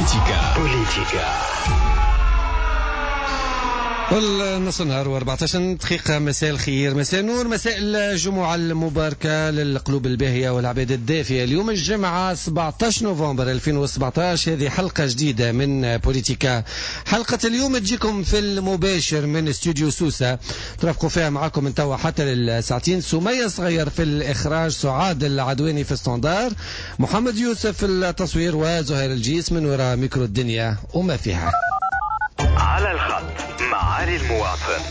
بوليتيكا نص النهار و14 دقيقة. مساء الخير، مساء النور، مساء الجمعة المباركة للقلوب الباهية والعباد الدافية. اليوم الجمعة 17 نوفمبر 2017، هذه حلقة جديدة من بوليتيكا. حلقة اليوم تجيكم في المباشر من استوديو سوسة، ترافقوا فيها معكم من توا حتى للساعتين. سمية صغير في الإخراج، سعاد العدواني في standard، محمد يوسف في التصوير، وزهير الجيس من وراء ميكرو الدنيا وما فيها. على الخط معالي المواطن.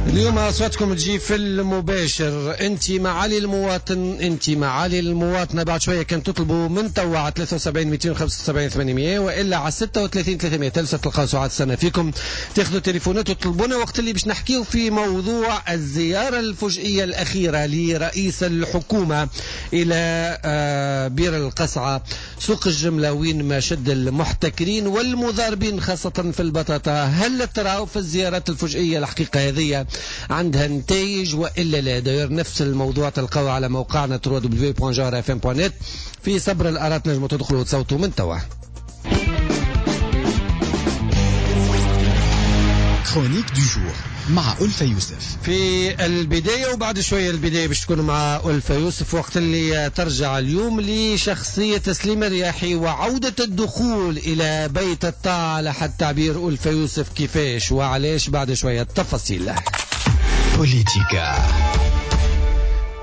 اليوم أصواتكم تجي في المباشر، أنت معالي المواطن، أنت معالي المواطنة. بعد شوية كان تطلبوا من توا على 73 275 800 وإلا على 36 300 تلقاو سعاد السنة فيكم. تاخذوا تليفونات وتطلبونا وقت اللي باش نحكيو في موضوع الزيارة الفجئية الأخيرة لرئيس الحكومة إلى بير القصعة، سوق الجملة، وين ما شد المحتكرين والمضاربين خاصة في البطاطا. هل تراو في الزيارات الفجئية الحقيقة هذه عندها نتائج والا لا؟ داير نفس الموضوع تلقاوه على موقعنا www.jawharafm.net. في صبر الارات نجموا تدخلوا وتصوتوا من توا. chronique du jour مع ألفة يوسف في البداية، وبعد شوية البداية باش تكون مع ألفة يوسف وقت اللي ترجع اليوم لشخصية تسليم الرياحي وعودة الدخول إلى بيت الطاعة على حد تعبير ألفة يوسف، كيفاش وعلاش بعد شوية التفاصيل. بوليتيكا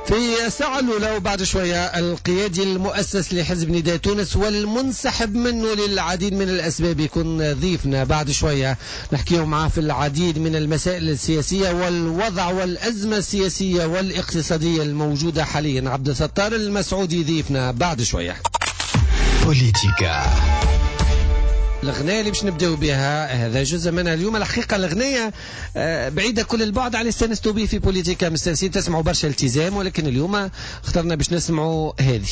في الساعة الأولى وبعد شوية القيادي المؤسس لحزب نداء تونس والمنسحب منه للعديد من الأسباب يكون ضيفنا بعد شوية، نحكيه معاه في العديد من المسائل السياسية والوضع والأزمة السياسية والاقتصادية الموجودة حاليا. عبد الستار المسعودي ضيفنا بعد شوية. بوليتيكا الغناية اللي باش نبداو بها هذا جزء منها اليوم. الحقيقة الغناية بعيدة كل البعد على اللي استانستوا به في بوليتيكا، مستانسين تسمعوا برشا التزام، ولكن اليوم اخترنا باش نسمعوا هذه.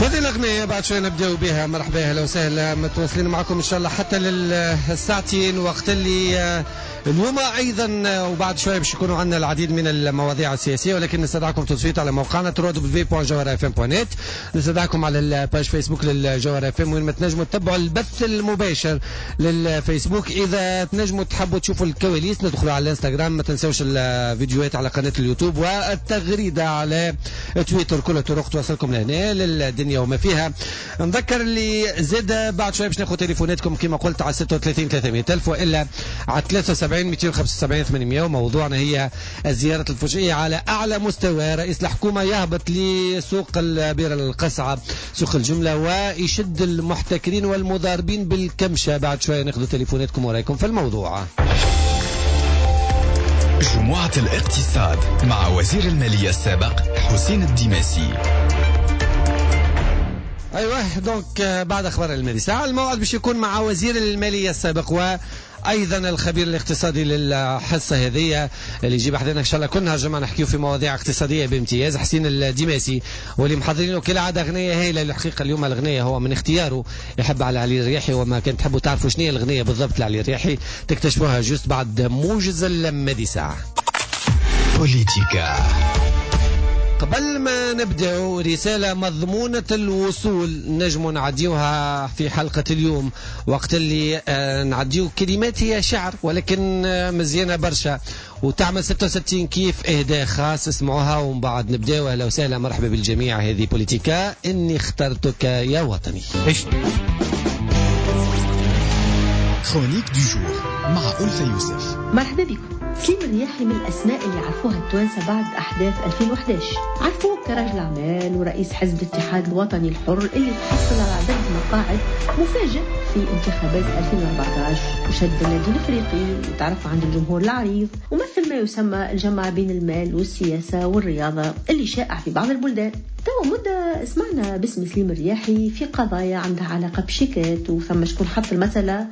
هذه الأغنية بعد شوية نبدأ بها. مرحبا، أهلا وسهلا، متواصلين معكم إن شاء الله حتى للساعتين وقت اللي اليوم أيضا وبعد شوية باش يكونوا عندنا العديد من المواضيع السياسية، ولكن نستدعكم تصويت على موقعنا www.jawharafm.net، نستدعكم على ال page فيسبوك للجوهرة FM وين ما تنجموا تتبعوا البث المباشر للفيسبوك. إذا تنجموا تحبوا تشوفوا الكواليس ندخلوا على الانستغرام، ما تنسوش الفيديوهات على قناة اليوتيوب والتغريدة على تويتر، كل الطرق توصلكم لهنا للدنيا وما فيها. نذكر اللي زاد بعد شوية باش ناخذ تليفوناتكم كما قلت على 36 300 ألف وإلا على 73 275 800. وموضوعنا هي الزيارة الفجئية على أعلى مستوى، رئيس الحكومة يهبط لسوق البير القصعة سوق الجملة ويشد المحتكرين والمضاربين بالكمشة. بعد شوية ناخذ تليفوناتكم ورايكم في الموضوع. جمعة الاقتصاد مع وزير المالية السابق حسين الديماسي. ايوه donc بعد اخبار المالية ساعة الموعد باش يكون مع وزير المالية السابق وايضا الخبير الاقتصادي للحصه هذه اللي يجيب حدنا ان شاء الله كل نهار جمعه نحكيو في مواضيع اقتصادية بامتياز، حسين الديماسي، واللي محضرينه كالعادة اغنية هايلة. الحقيقة اليوم الاغنية هو من اختياره، يحب على علي الرياحي، وما كان تحبوا تعرفوا شنو هي الاغنية بالضبط لعلي الرياحي تكتشفوها juste بعد موجز المدي ساعة. بوليتيكا قبل ما نبدأ رسالة مضمونة الوصول نجم نعديوها في حلقة اليوم، وقت اللي نعديو كلمات هي شعر ولكن مزيانة برشا وتعمل 66 كيف، إهداء خاص، اسمعوها ومن بعد نبدأ. أهلا وسهلا، مرحبا بالجميع، هذه بوليتيكا، إني اخترتك يا وطني. chronique du jour مع ألفة يوسف. مرحبا بكم. سليم الرياحي من الأسماء اللي عرفوها التوانسة بعد أحداث 2011، عرفوه كرجل أعمال ورئيس حزب الاتحاد الوطني الحر اللي تحصل على عدد مقاعد مفاجئ في انتخابات 2014، وشد النادي الافريقي وتعرف عند الجمهور العريض، ومثل ما يسمى الجمع بين المال والسياسة والرياضة اللي شائع في بعض البلدان. توا مدة سمعنا باسم سليم الرياحي في قضايا عندها علاقة بشيكات، وثم شكون حط المسألة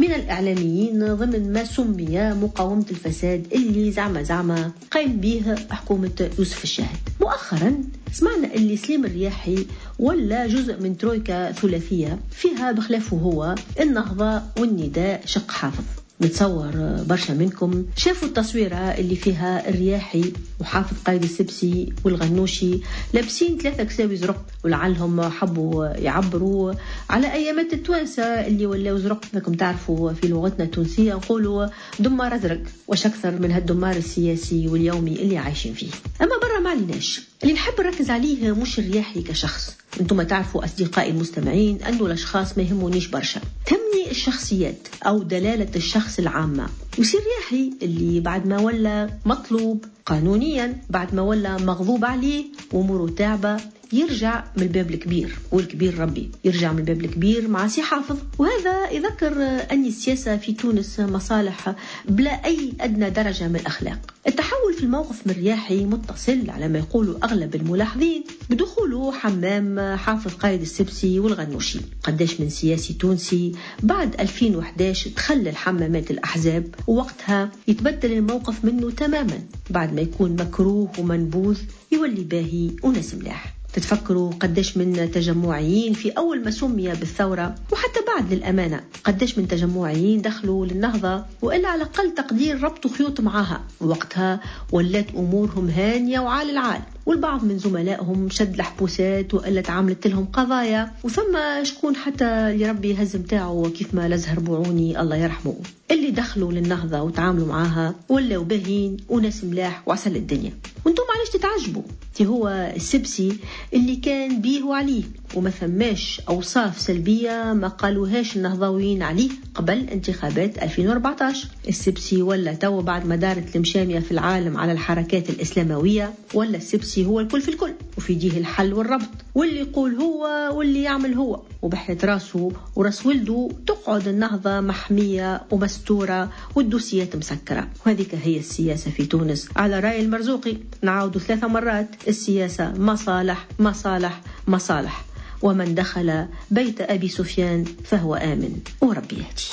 من الإعلاميين ضمن ما سمي مقاومة الفساد اللي زعما زعما قايم به حكومة يوسف الشاهد. مؤخرا سمعنا اللي سليم الرياحي ولا جزء من ترويكا ثلاثية فيها بخلافه هو النهضة والنداء شق حافظ. نتصور برشا منكم شافوا التصويرة اللي فيها الرياحي وحافظ قايد السبسي والغنوشي لابسين 3 كساوي زرق، ولعلهم حبوا يعبروا على أيامات التوانسة اللي ولاو زرق. لكم تعرفوا في لغتنا التونسية نقولوا دمار أزرق، وش أكثر من هالدمار السياسي واليومي اللي عايشين فيه. أما برا ما عليناش، اللي نحب نركز عليه مش الرياحي كشخص، انتم تعرفوا أصدقائي المستمعين أنه الأشخاص ما يهمونيش برشا، تهمني الشخصيات أو دلالة الشخص العامة. وسي الرياحي اللي بعد ما ولا مطلوب قانونيا، بعد ما ولا مغضوب عليه وأموره تعبة، يرجع من الباب الكبير، والكبير ربي، يرجع من الباب الكبير مع سي حافظ. وهذا يذكر أن السياسة في تونس مصالح بلا أي أدنى درجة من الأخلاق. التحول في الموقف من الرياحي متصل على ما يقولوا أغلب الملاحظين بدخوله حمام حافظ قايد السبسي والغنوشي. قداش من سياسي تونسي بعد 2011 دخل الحمامات الأحزاب، ووقتها يتبدل الموقف منه تماما، بعد ما يكون مكروه ومنبوذ يولي باهي وناس ملاح. تتفكروا قداش من تجمعيين في أول ما سمي بالثورة، وحتى بعد للأمانة قداش من تجمعيين دخلوا للنهضة وإلا على أقل تقدير ربطوا خيوط معاها، وقتها ولات أمورهم هانية وعال العال، والبعض من زملائهم شد الحبوسات وإلا تعاملت لهم قضايا، وثم شكون حتى اللي ربي هز متاعه كيف ما لزهر بوعوني الله يرحمه. اللي دخلوا للنهضة وتعاملوا معاها ولاو باهين وناس ملاح وعسل الدنيا. وانتم علاش تتعجبوا؟ تي هو السبسي اللي كان بيه وعليه، وما ثماش أوصاف سلبية ما قالوهاش النهضويين عليه قبل انتخابات 2014. السبسي ولا تو بعد ما دارت المشامية في العالم على الحركات الإسلاموية، ولا السبسي هو الكل في الكل، وفي ديه الحل والربط، واللي يقول هو واللي يعمل هو، وبحية راسه وراس ولده تقعد النهضة محمية ومستورة والدوسيات مسكرة. وهذيك هي السياسة في تونس على رأي المرزوقي. نعاود 3 مرات، السياسة مصالح مصالح مصالح، ومن دخل بيت أبي سفيان فهو آمن، وربي يهدي.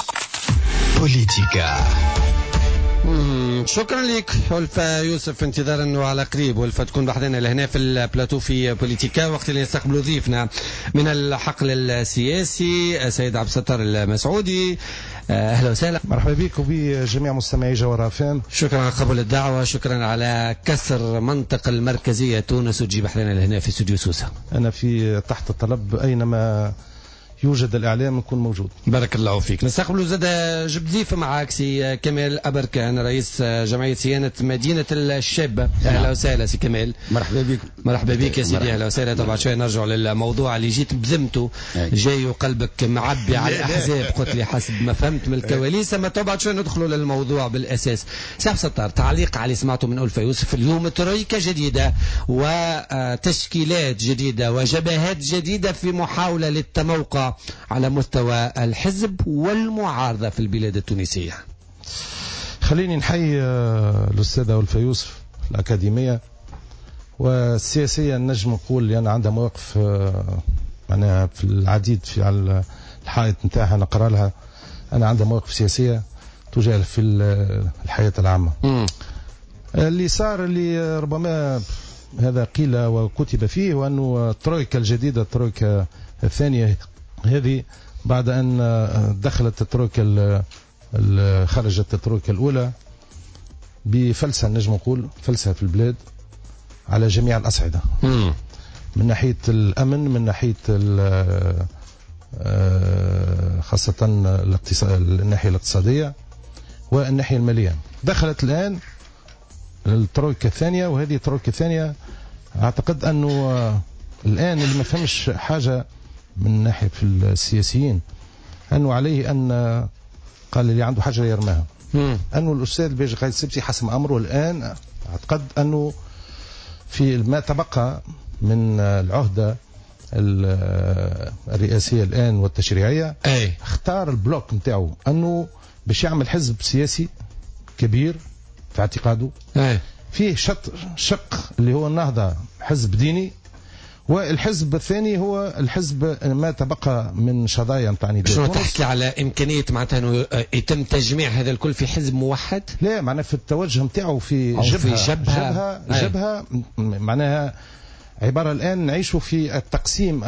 بوليتيكا. شكرا لك ألفة يوسف، انتظارا انه على قريب ألفة تكون بحذنا لهنا في البلاتو في بوليتيكا، وقت اللي نستقبلوا ضيفنا من الحقل السياسي السيد عبد الستار المسعودي. اهلا وسهلا، مرحبا بك وبجميع مستمعي جوهرة FM. شكرا على قبول الدعوة، شكرا على كسر منطق المركزية تونس وتجيب حذنا لهنا في استوديو سوسة. انا في تحت الطلب اينما يوجد الإعلام يكون موجود. بارك الله فيك. نستقبل زاد جبت ضيف معاك سي كمال أبركان، رئيس جمعية صيانة مدينة الشابة. أهلا وسهلا سي كمال. مرحبا بك. مرحبا بك يا سيدي، أهلا وسهلا. طبعا شوية نرجع للموضوع اللي جيت بذمته، جاي وقلبك معبي على الأحزاب، قلت لي حسب ما فهمت من الكواليس، أما طبعا شوية ندخلوا للموضوع بالأساس. سي عبد الستار، تعليق على اللي سمعته من ألفة يوسف اليوم، ترويكة جديدة وتشكيلات جديدة وجبهات جديدة في محاولة للتموقع على مستوى الحزب والمعارضة في البلاد التونسية. خليني نحيي الأستاذة ألفة يوسف الأكاديمية والسياسية، نجم نقول لأن عندها مواقف معناها في العديد في على الحائط نتاعها نقرأ لها، أنا عندها مواقف سياسية تجاه في الحياة العامة. اللي صار اللي ربما هذا قيل وكتب فيه، وأنه الترويكا الجديدة، الترويكا الثانية هذه بعد أن دخلت الترويكا، خرجت الترويكا الأولى بفلسة، نجم نقول فلسة في البلاد على جميع الأصعدة، من ناحية الأمن، من ناحية خاصة الناحية الاقتصادية والناحية المالية. دخلت الآن الترويكا الثانية، وهذه الترويكا الثانية أعتقد أنه الآن اللي ما فهمش حاجة من ناحية في السياسيين أنه عليه أن قال اللي عنده حاجة يرماها، أنه الأستاذ الباجي قايد السبسي حسم أمره الآن. أعتقد أنه في ما تبقى من العهدة الرئاسية الآن والتشريعية، اختار ال bloc نتاعو أنه باش يعمل حزب سياسي كبير في اعتقاده، فيه شق اللي هو النهضة حزب ديني، والحزب الثاني هو الحزب ما تبقى من شظايا نتاع نداء. شنو تحكي على إمكانية معناتها أنه يتم تجميع هذا الكل في حزب موحد؟ لا، معناها في التوجه نتاعو في جبهة، في جبهة معناها عبارة الآن نعيش في التقسيم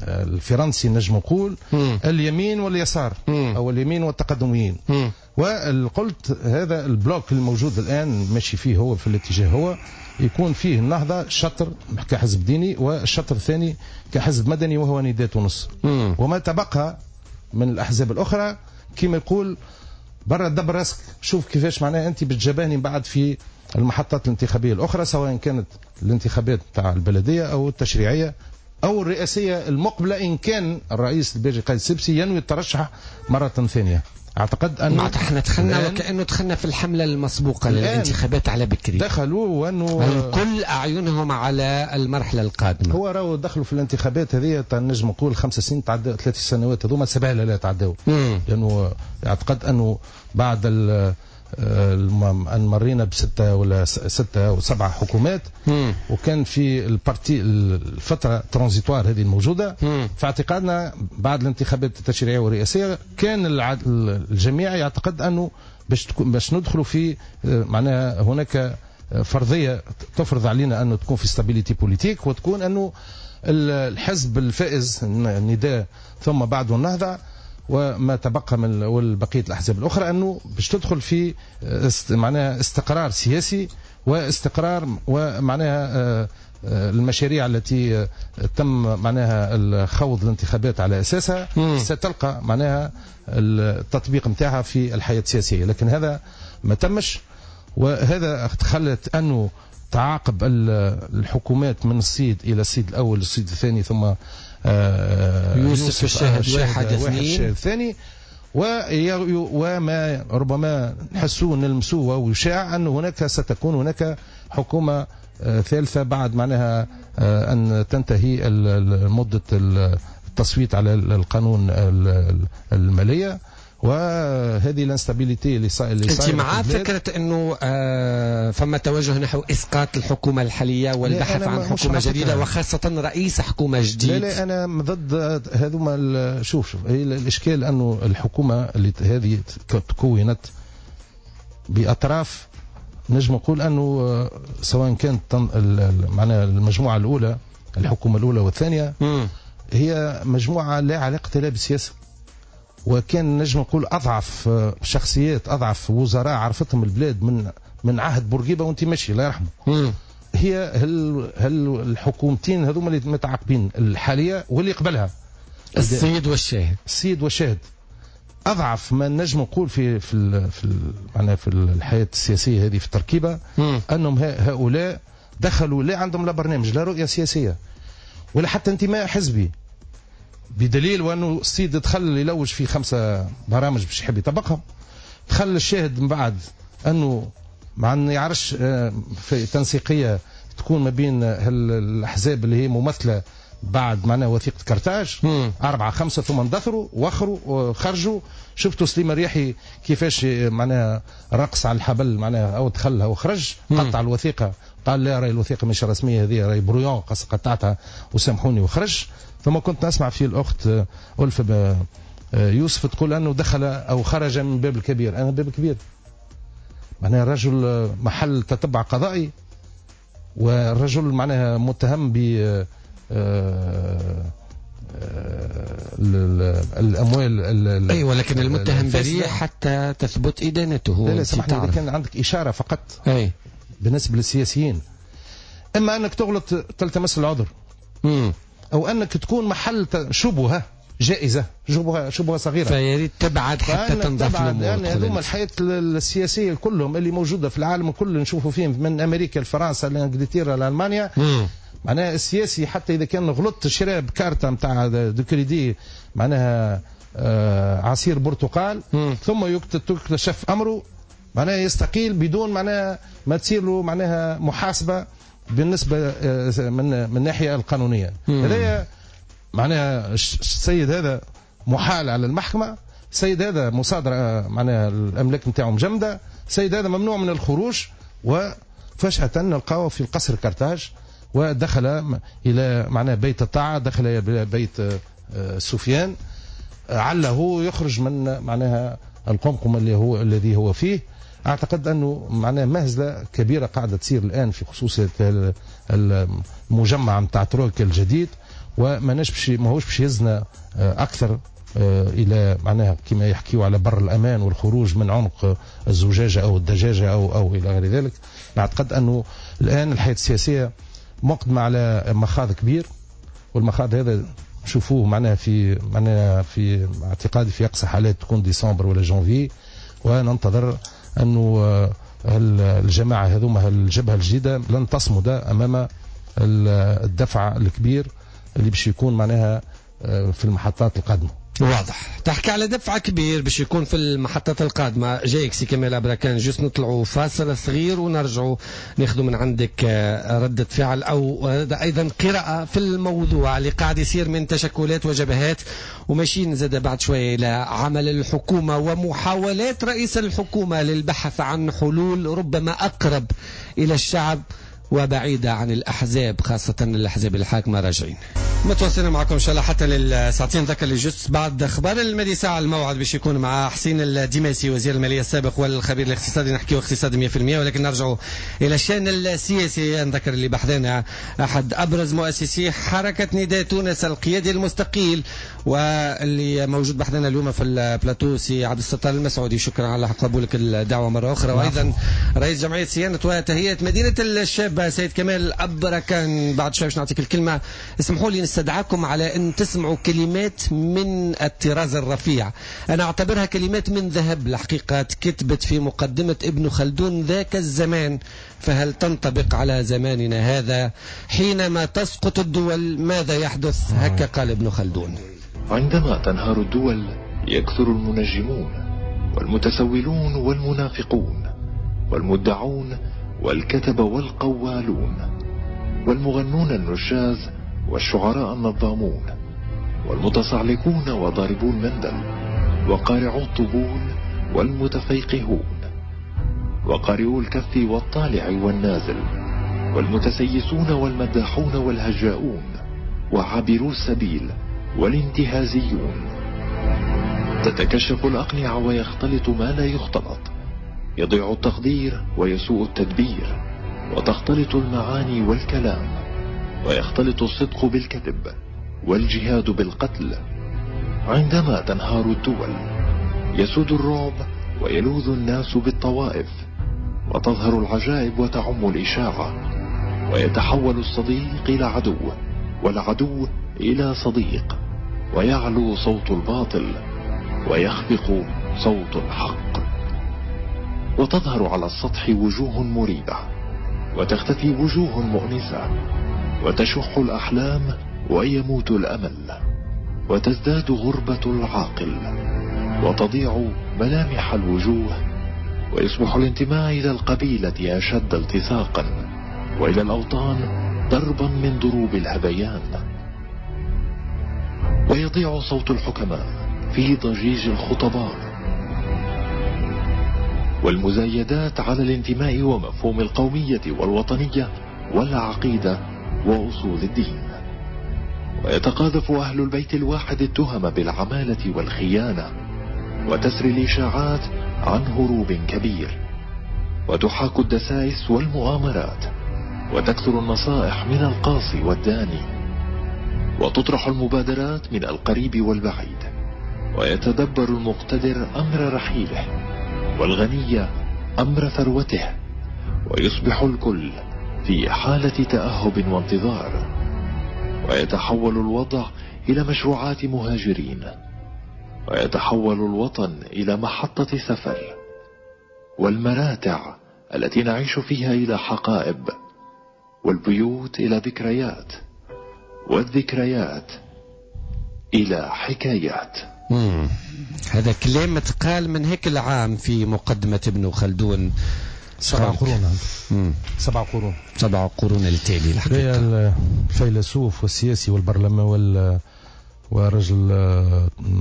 الفرنسي نجم نقول اليمين واليسار أو اليمين والتقدميين. وقلت هذا ال bloc الموجود الآن ماشي فيه هو في الاتجاه، هو يكون فيه النهضة شطر كحزب ديني والشطر الثاني كحزب مدني وهو نداء تونس. وما تبقى من الأحزاب الأخرى كما يقول برا دبر راسك، شوف كيفاش معناها أنت بتجابهني بعد في المحطات الانتخابية الأخرى، سواء كانت الانتخابات تاع البلدية أو التشريعية أو الرئاسية المقبلة، إن كان الرئيس الباجي قائد السبسي ينوي الترشح مرة ثانية. أعتقد أن احنا دخلنا وكأنه دخلنا في الحملة المسبوقة للانتخابات على بكري، دخلوا وأنه الكل أعينهم على المرحلة القادمة. هو راهو دخلوا في الانتخابات هذه نجم نقول 5 سنين تعدوا، 3 سنوات هذوما 7 لا تعدوا، لأنه أعتقد أنه بعد أن مرينا ب6 ولا 6 أو 7 حكومات، وكان في ال partie الفترة transitoire هذه الموجودة. فاعتقادنا بعد الانتخابات التشريعية والرئاسية كان الجميع يعتقد أنه باش ندخلوا في معناها هناك فرضية تفرض علينا أنه تكون في stabilité politique، وتكون أنه الحزب الفائز النداء ثم بعده النهضة وما تبقى من والبقية الأحزاب الأخرى أنه باش تدخل في معناها استقرار سياسي واستقرار ومعناها المشاريع التي تم معناها الخوض الانتخابات على أساسها ستلقى معناها التطبيق متاعها في الحياة السياسية. لكن هذا ما تمش، وهذا خلت أنه تعاقب الحكومات من الصيد إلى الصيد الأول الصيد الثاني ثم يوسف الشاهد واحد اثنين الثاني، وما ربما نحسوه نلمسوه ويشاع أن هناك ستكون هناك حكومة ثالثة بعد معناها أن تنتهي مدة التصويت على القانون المالية. وهذه ال instabilité اللي انت مع فكرة انه فما توجه نحو اسقاط الحكومة الحالية والبحث عن حكومة جديدة وخاصة رئيس حكومة جديد؟ لا لا، انا ضد هذوما. شوف هي الاشكال انه الحكومة اللي هذه تكونت باطراف نجم نقول انه سواء كانت معناها المجموعة الاولى الحكومة الاولى والثانية هي مجموعة لا علاقة لها بالسياسة، وكان نجم نقول أضعف شخصيات أضعف وزراء عرفتهم البلاد من عهد بورقيبة وانت ماشي الله يرحمه. هي هل الحكومتين هذوما اللي متعاقبين الحالية واللي قبلها السيد والشاهد، السيد والشاهد أضعف ما نجم نقول في في في معناها في الحياة السياسية هذه في التركيبة، أنهم هؤلاء دخلوا لا عندهم لا برنامج لا رؤية سياسية ولا حتى انتماء حزبي، بدليل وانه السيد دخل يلوج في 5 برامج باش يحب يطبقها. دخل الشاهد من بعد انه مع انه يعرفش في تنسيقيه تكون ما بين الاحزاب اللي هي ممثلة بعد معناها وثيقة كرتاج 4 5 ثم اندثروا واخروا وخرجوا. شفتوا سليم الريحي كيفاش معناها رقص على الحبل معناها او دخلها وخرج قطع الوثيقة، قال لا راي الوثيقة مش رسمية هذه راي brouillon قطعتها وسامحوني وخرج. ثم كنت نسمع في الأخت ألفة يوسف تقول أنه دخل أو خرج من باب الكبير. أنا باب الكبير معناها الرجل محل تتبع قضائي، والرجل معناها متهم ب الأموال. أيوة، لكن المتهم بريء حتى تثبت إدانته. لا لا سمحني، إذا كان عندك إشارة فقط. أي. بالنسبة للسياسيين، إما أنك تغلط تلتمس العذر، أو أنك تكون محل شبهة جائزة، شبهة صغيرة، فياريت تبعد حتى تنظف الأمور. يعني هذوما الحياة السياسية كلهم اللي موجودة في العالم كله نشوفوا فيهم من أمريكا لفرنسا لإنجلترا لألمانيا. معناها السياسي حتى إذا كان غلط شرى بكارتة نتاع de crédit معناها عصير برتقال، ثم يكتشف أمره معناها يستقيل بدون معناها ما تصير له معناها محاسبة بالنسبة من الناحية القانونية. هذا معناها السيد هذا محال على المحكمة، السيد هذا مصادرة معناها الأملاك نتاعو مجمدة، السيد هذا ممنوع من الخروج، وفجأة نلقاوه في القصر كرتاج ودخل إلى معناه بيت الطاعة، دخل إلى بيت سفيان، عله يخرج من معناها القمقم اللي هو الذي هو فيه. أعتقد أنه معناه مهزلة كبيرة قاعدة تصير الآن في خصوص المجمع نتاع ترويكا الجديد، وما ماهوش باش يزنا أكثر إلى معناها كما يحكيوا على بر الأمان والخروج من عنق الزجاجة أو الدجاجة أو إلى غير ذلك. نعتقد أنه الآن الحياة السياسية مقدمة على مخاض كبير، والمخاض هذا نشوفوه معناها في اعتقادي في أقصى حالات تكون ديسمبر ولا جانفي، وننتظر أنه الجماعة هذوما الجبهة الجديدة لن تصمد أمام الدفع الكبير اللي باش يكون معناها في المحطات القادمة. واضح، تحكي على دفع كبير باش يكون في المحطات القادمة. جايك سي كمال أبركان، juste نطلعوا فاصل صغير ونرجعوا ناخذوا من عندك ردة فعل أو أيضا قراءة في الموضوع اللي قاعد يصير من تشكلات وجبهات، وماشيين زاد بعد شوية إلى عمل الحكومة ومحاولات رئيس الحكومة للبحث عن حلول ربما أقرب إلى الشعب وبعيدة عن الأحزاب، خاصة الأحزاب الحاكمة. راجعين متواصلين معكم إن شاء الله حتى للساعتين. ذكر لي juste بعد أخبار المالي ساعة الموعد باش يكون مع حسين الديماسي وزير المالية السابق والخبير الاقتصادي، نحكيو اقتصاد 100%. ولكن نرجعوا إلى الشأن السياسي. نذكر اللي بحثنا أحد أبرز مؤسسي حركة نداء تونس القيادي المستقيل واللي موجود بحثنا اليوم في البلاتو سي عبد الستار المسعودي، شكرا على قبولك الدعوة مرة أخرى. وأيضا رئيس جمعية صيانة وتهيئة مدينة الشابة سيد كمال أبركان. بعد شوي باش نعطيك الكلمة، اسمحوا لي نستدعاكم على أن تسمعوا كلمات من الطراز الرفيع، أنا أعتبرها كلمات من ذهب الحقيقة، كتبت في مقدمة ابن خلدون ذاك الزمان، فهل تنطبق على زماننا هذا؟ حينما تسقط الدول ماذا يحدث؟ هكا قال ابن خلدون: عندما تنهار الدول يكثر المنجمون والمتسولون والمنافقون والمدعون والكتب والقوالون والمغنون النشاز والشعراء النظامون والمتصعلكون وضاربو المندل وقارعو الطبول والمتفيقهون وقارئو الكف والطالع والنازل والمتسيسون والمداحون والهجاؤون وعابرو السبيل والانتهازيون. تتكشف الأقنعة ويختلط ما لا يختلط، يضيع التقدير ويسوء التدبير، وتختلط المعاني والكلام، ويختلط الصدق بالكذب والجهاد بالقتل. عندما تنهار الدول يسود الرعب ويلوذ الناس بالطوائف، وتظهر العجائب وتعم الإشاعة، ويتحول الصديق إلى عدو والعدو إلى صديق، ويعلو صوت الباطل ويخفق صوت الحق، وتظهر على السطح وجوه مريبة وتختفي وجوه مؤنسة، وتشح الأحلام ويموت الأمل، وتزداد غربة العاقل وتضيع ملامح الوجوه، ويصبح الانتماء إلى القبيلة أشد التصاقا، وإلى الأوطان ضربا من ضروب الهذيان، ويضيع صوت الحكماء في ضجيج الخطباء، والمزايدات على الانتماء ومفهوم القومية والوطنية والعقيدة وأصول الدين. ويتقاذف أهل البيت الواحد التهم بالعمالة والخيانة، وتسري الإشاعات عن هروب كبير، وتحاك الدسائس والمؤامرات، وتكثر النصائح من القاصي والداني، وتطرح المبادرات من القريب والبعيد، ويتدبر المقتدر أمر رحيله والغني أمر ثروته، ويصبح الكل في حالة تأهب وانتظار، ويتحول الوضع إلى مشروعات مهاجرين، ويتحول الوطن إلى محطة سفر، والمراتع التي نعيش فيها إلى حقائب، والبيوت إلى ذكريات، والذكريات إلى حكايات. هذا كلام تقال من هيك العام في مقدمة ابن خلدون. 7 قرون. 7 قرون. 7 قرون التالي الحقيقة. الفيلسوف والسياسي والبرلمان ورجل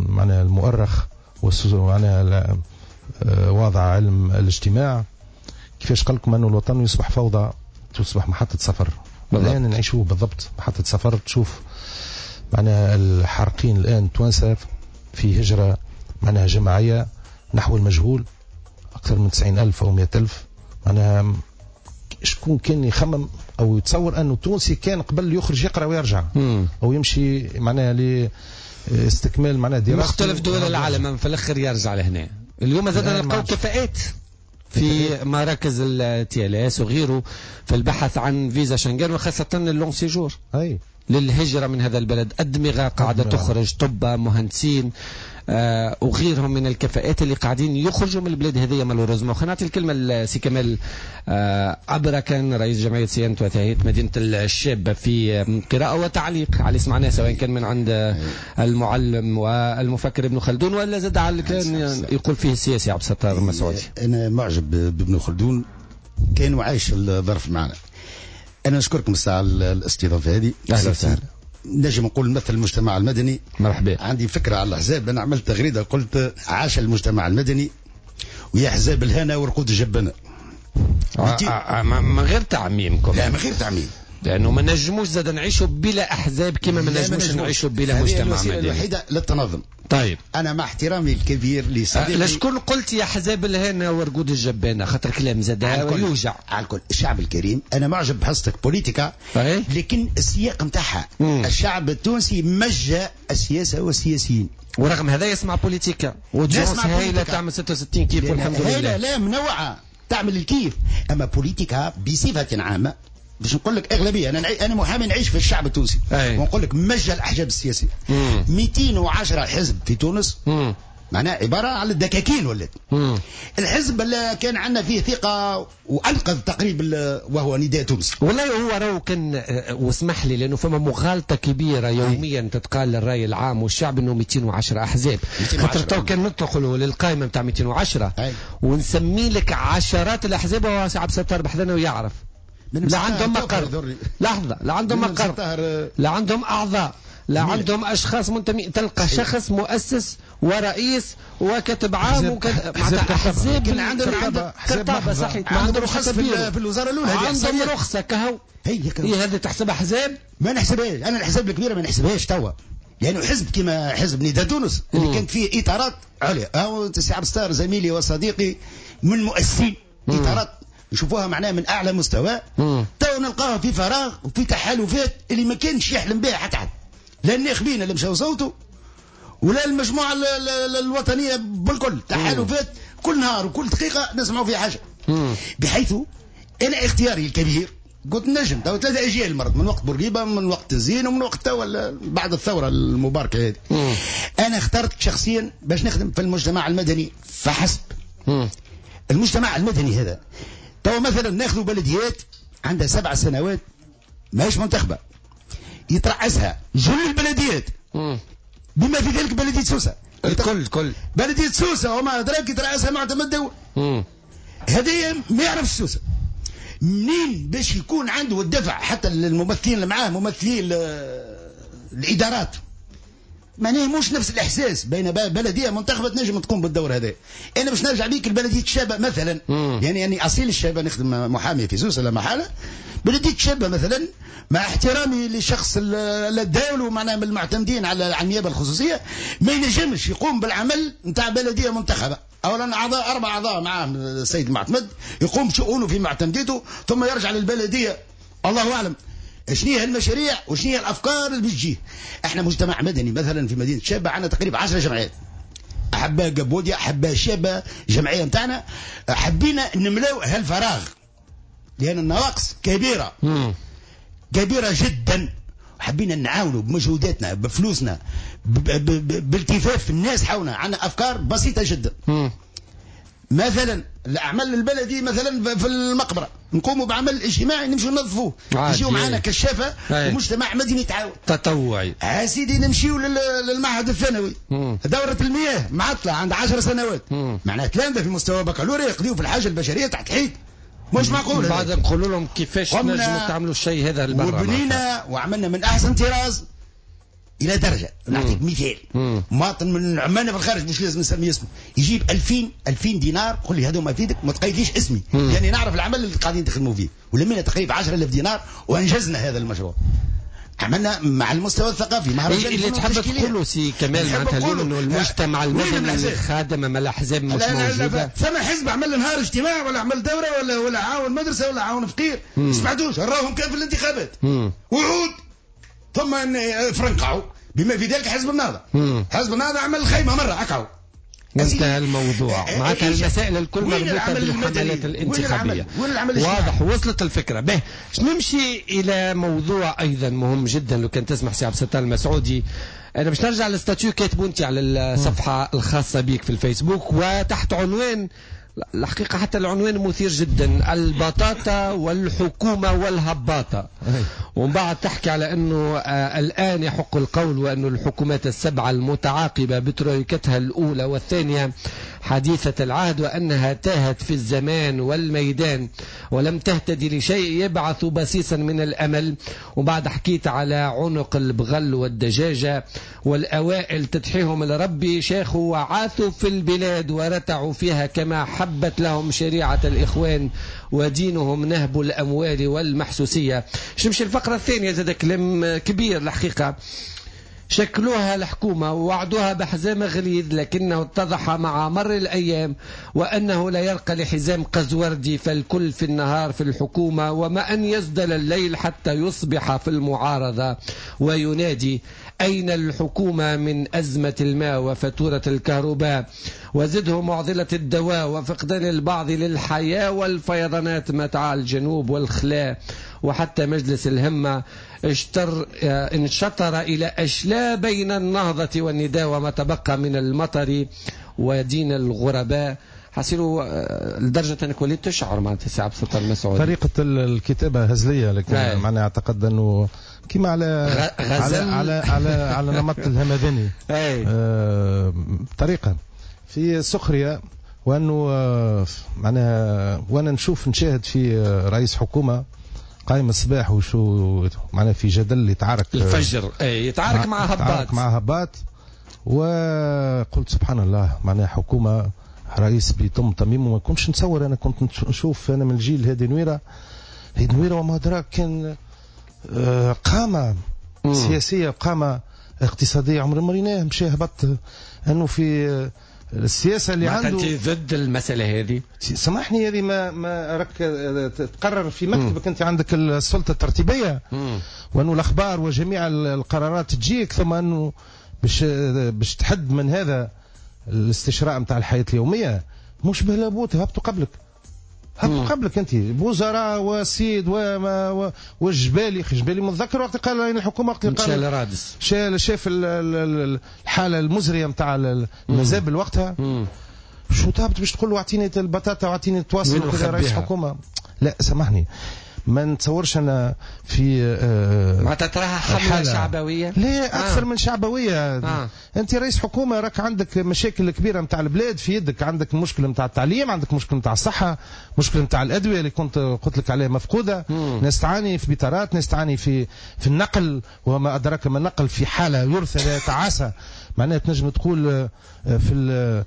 معناها المؤرخ معناها واضع علم الاجتماع، كيفاش قال لكم أنه الوطن يصبح فوضى، تصبح محطة سفر. الان نعيشوه بالضبط. محطة سفر تشوف معناها الحارقين الان توانسة في هجره معناها جماعية نحو المجهول، اكثر من 90,000 او 100,000. معناها شكون كان يخمم او يتصور انه التونسي كان قبل يخرج يقرا ويرجع او يمشي معناها لاستكمال معناها دراسته مختلف دول العالم في الاخر يرجع لهنا. اليوم زاد نلقاو كفاءات في مراكز ال TLS وغيره في البحث عن فيزا شنغن وخاصة ال long séjour للهجرة من هذا البلد. أدمغة قاعدة تخرج، طب، مهندسين، وغيرهم من الكفاءات اللي قاعدين يخرجوا من البلاد هذه malheureusement. خلينا نعطي الكلمة لسي كمال عبرة، كان رئيس جمعية صيانة وتهيئة مدينة الشابة، في قراءة وتعليق على اللي سمعناه سواء كان من عند المعلم والمفكر ابن خلدون ولا زاد على اللي كان يقول فيه السياسي عبد الستار المسعودي. أنا معجب بابن خلدون، كان وعايش الظرف معنا. أنا نشكركم الساعة على الاستضافة هذه. أهلا وسهلا. نجم نقول مثل المجتمع المدني. مرحبا. عندي فكرة على الأحزاب، أنا عملت تغريدة قلت عاش المجتمع المدني ويا أحزاب الهنا ورقود الجبانة. من غير تعميمكم. لا من غير تعميم، لأنه ما نجموش زاد نعيشوا بلا أحزاب كما ما نجموش نعيشوا بلا مجتمع مدني. الوحيدة للتنظم. طيب أنا مع احترامي الكبير لصديقي لشكون قلت يا أحزاب الهنا ورقود الجبانة؟ خاطر كلام زاد يوجع على الكل. الشعب الكريم أنا معجب بحصتك بوليتيكا، لكن السياق نتاعها الشعب التونسي مجى السياسة والسياسيين، ورغم هذا يسمع بوليتيكا وتونس هايلة تعمل 66 كيف والحمد لله. لا منوعة تعمل الكيف، أما بوليتيكا بصفة عامة باش نقول لك اغلبية، انا محامي نعيش في الشعب التونسي ونقول لك مجى الاحزاب السياسية 210 حزب في تونس، معناها عبارة على الدكاكين ولات. الحزب اللي كان عندنا فيه ثقة وانقذ تقريبا وهو نداء تونس. والله هو راهو كان، واسمح لي لانه فما مغالطة كبيرة يوميا تتقال للراي العام والشعب انه 210 احزاب، خاطر تو كان ندخلوا للقائمه نتاع 210 ونسمي لك عشرات الاحزاب، وهو عبد الستار بحذنا ويعرف لا عندهم مقر، لحظة، لا عندهم مقر، لا عندهم أعضاء، لا عندهم أشخاص منتمين. تلقى شخص مؤسس ورئيس وكاتب عام وكذا، أحزاب عندهم كرطابة صحيح، ما عندهم رخصة في الوزارة الأولى، عندهم رخصة كهو. هي هذه تحسب أحزاب؟ ما نحسبهاش أنا، الأحزاب الكبيرة ما نحسبهاش توا، لأنه حزب كما حزب نداء تونس اللي كانت فيه إطارات عليا، هو سي عبد الستار زميلي وصديقي من مؤسسين إطارات نشوفوها معناها من اعلى مستوى، تو نلقاها في فراغ وفي تحالفات اللي ما كانش يحلم بها حتى حد، لا الناخبين اللي مشاو صوتوا ولا المجموعة الوطنية بالكل. تحالفات كل نهار وكل دقيقة نسمعوا فيها حاجة. بحيث انا اختياري الكبير قلت نجم تو 3 اجيال مرت، من وقت بورقيبة، من وقت الزين، ومن وقت تو بعد الثورة المباركة هذه. انا اخترت شخصيا باش نخدم في المجتمع المدني فحسب. المجتمع المدني هذا تو مثلا ناخذ بلديات عندها 7 سنوات ماهيش منتخبه، يترأسها جل البلديات بما في ذلك بلديه سوسة، الكل بلديه سوسة وما ادراك يترأسها معتمد دولة. هذه ما يعرفش سوسة منين باش يكون عنده الدفع، حتى الممثلين اللي معاه ممثلين الادارات معناه مش نفس الاحساس بين بلديه منتخبه تنجم تقوم بالدور هذا. انا باش نرجع بيك لبلديه الشابة مثلا، يعني اصيل الشابة نخدم محامي في سوسة لا محالة. بلديه الشابة مثلا مع احترامي لشخص الدول ومعناه من المعتمدين على النيابة الخصوصية، ما ينجمش يقوم بالعمل نتاع بلديه منتخبه. اولا اعضاء 4 اعضاء معاه السيد المعتمد يقوم بشؤونه في معتمديته، ثم يرجع للبلديه الله اعلم شنو هي المشاريع وشنو هي الافكار اللي بتجيه. احنا مجتمع مدني مثلا في مدينة شابه عندنا تقريبا 10 جمعيات، احباء قبوديا، احباء شابه، جمعية نتاعنا حبينا نملاو هالفراغ لان النواقص كبيرة كبيرة جدا، حبينا نعاونوا بمجهوداتنا بفلوسنا بالتفاف الناس حولنا. عندنا افكار بسيطة جدا. مثلا الاعمال البلدي مثلا في المقبرة نقوموا بعمل اجتماعي، نمشوا ننظفوه، يجيو معنا كشافه ومجتمع مدني يتعاون تطوعي. سيدي نمشيو للمعهد الثانوي، دوره المياه معطلة عند 10 سنوات، معناها تلامذه في مستوى بكالوريا يقضيوا في الحاجة البشرية تحت الحيط، مش معقول. بعد نقولوا لهم كيفاش نجموا تعملوا الشيء هذا لبرا، وبنينا وعملنا من احسن طراز. الى درجه. نعطيك مثال، مواطن من عمانه في الخارج مش لازم نسمي اسمه، يجيب 2000 دينار، قل لي هذوما فيدك ما تقيدليش اسمي لاني يعني نعرف العمل اللي قاعدين تخدموا فيه، ولمينا تقريبا 10000 دينار وانجزنا هذا المشروع. عملنا مع المستوى الثقافي مهرجان. اللي تحب تقوله سي كمال معناتها اليوم انه المجتمع المدني خادم ما الاحزاب مش موجودة. ثم حزب عمل نهار اجتماع ولا عمل دوره ولا عاون مدرسه ولا عاون فقير، سمعتوش راهم كان في الانتخابات وعود، ثم فرنقعوا بما في ذلك حزب النهضة. حزب النهضة عمل خيمة مرة اقعوا وانتهى الموضوع. معناتها المسائل الكل مربوطة بالحملات الانتخابية. واضح، وصلت الفكرة. به نمشي إلى موضوع أيضا مهم جدا لو كان تسمح سي عبد الستار المسعودي. أنا باش نرجع لل statut كاتبه أنت على الصفحة الخاصة بك في الفيسبوك، وتحت عنوان الحقيقة حتى العنوان مثير جدا، البطاطا والحكومة والهباطة. ومن بعد تحكي على أنه الآن يحق القول وأن الحكومات السبعة المتعاقبة بترويكتها الأولى والثانية حديثة العهد وأنها تاهت في الزمان والميدان ولم تهتدي لشيء يبعث بصيصا من الأمل. وبعد حكيت على عنق البغل والدجاجة والأوائل تدحيهم لربي، شاخوا وعاثوا في البلاد ورتعوا فيها كما حبت لهم شريعة الإخوان ودينهم نهب الأموال والمحسوسية. نمشي الفقرة الثانية، زاد كلام كبير الحقيقة. شكلوها الحكومة ووعدوها بحزام غليظ، لكنه اتضح مع مر الأيام وأنه لا يرقى لحزام قزوردي، فالكل في النهار في الحكومة وما أن يزدل الليل حتى يصبح في المعارضة وينادي أين الحكومة من أزمة الماء وفاتورة الكهرباء، وزده معضلة الدواء وفقدان البعض للحياة والفيضانات متاع الجنوب والخلاء، وحتى مجلس الهمة انشطر إلى أشلاء بين النهضة والنداء وما تبقى من المطر ودين الغرباء. حسيروا لدرجة أنك وليت تشعر معناتها سي عبد الستار المسعودي. طريقة الكتابة هزلية، لكن معناها أعتقد أنه كما على على على على, على نمط الهمداني طريقة في سخرية، وأنه معناها وأنا نشوف نشاهد في رئيس حكومة قايم الصباح وشو معناها في جدل يتعارك الفجر، يتعارك مع هباط، يتعارك مع هباط، وقلت سبحان الله معناها حكومة رئيس بيتم تميمه. ما كنتش نتصور، أنا كنت نشوف أنا من الجيل هادي نويرة، هادي نويرة وما أدراك كان قامة سياسية قامة اقتصادية عمر ما ريناه مشى هبط أنه في السياسة اللي عنده. أنت ضد المسألة هذه؟ سامحني، هذه ما راك تقرر في مكتبك، أنت عندك السلطة الترتيبية وأنه الأخبار وجميع القرارات تجيك، ثم أنه باش تحد من هذا الاستشراء نتاع الحياة اليومية مش بهلابوت. هبطوا قبلك، هبطوا قبلك أنت وزراء وسيد والجبالي، جبالي متذكر وقت قال الحكومة، وقت قال رادس شاف الحالة المزرية نتاع المزابل وقتها، شو تهبط باش تقول له اعطيني البطاطا واعطيني التواصل وكذا رئيس حكومة؟ لا سامحني، ما نتصورش انا في معناتها تراها حمله شعبويه؟ لا اكثر من شعبويه. انت رئيس حكومة راك عندك مشاكل كبيرة نتاع البلاد في يدك، عندك مشكلة نتاع التعليم، عندك مشكلة نتاع الصحة، مشكلة نتاع الادوية اللي كنت قلت لك عليها مفقودة، ناس تعاني في بيطارات، ناس تعاني في النقل وما ادراك ما النقل، في حاله يرثى لا تعاسى، معناها تنجم تقول في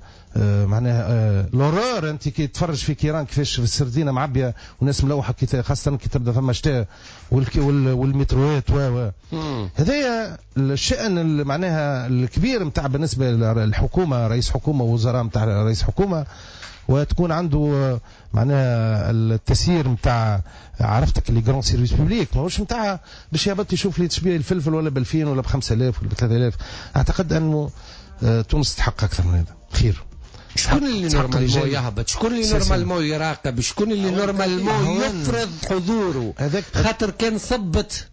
معناها l'horreur. انت كي تفرج في كيران كيفاش في السردينه معبيه وناس ملوحه، خاصة كي تبدا فما شتاء والمتروات و هذايا الشأن معناها الكبير نتاع بالنسبة للحكومة، رئيس حكومة ووزراء نتاع رئيس حكومة، وتكون عنده معناها التسيير نتاع عرفتك les grands services publics، ماهوش نتاع باش يهبط يشوف لي تشبيه الفلفل ولا ب 2000 ولا ب 5000 ولا ب 3000. اعتقد انه تونس تحقق اكثر من هذا. خير. شكون اللي normalement يهبط؟ شكون اللي normalement يراقب؟ شكون اللي normalement يفرض حضوره؟ خاطر كان صبت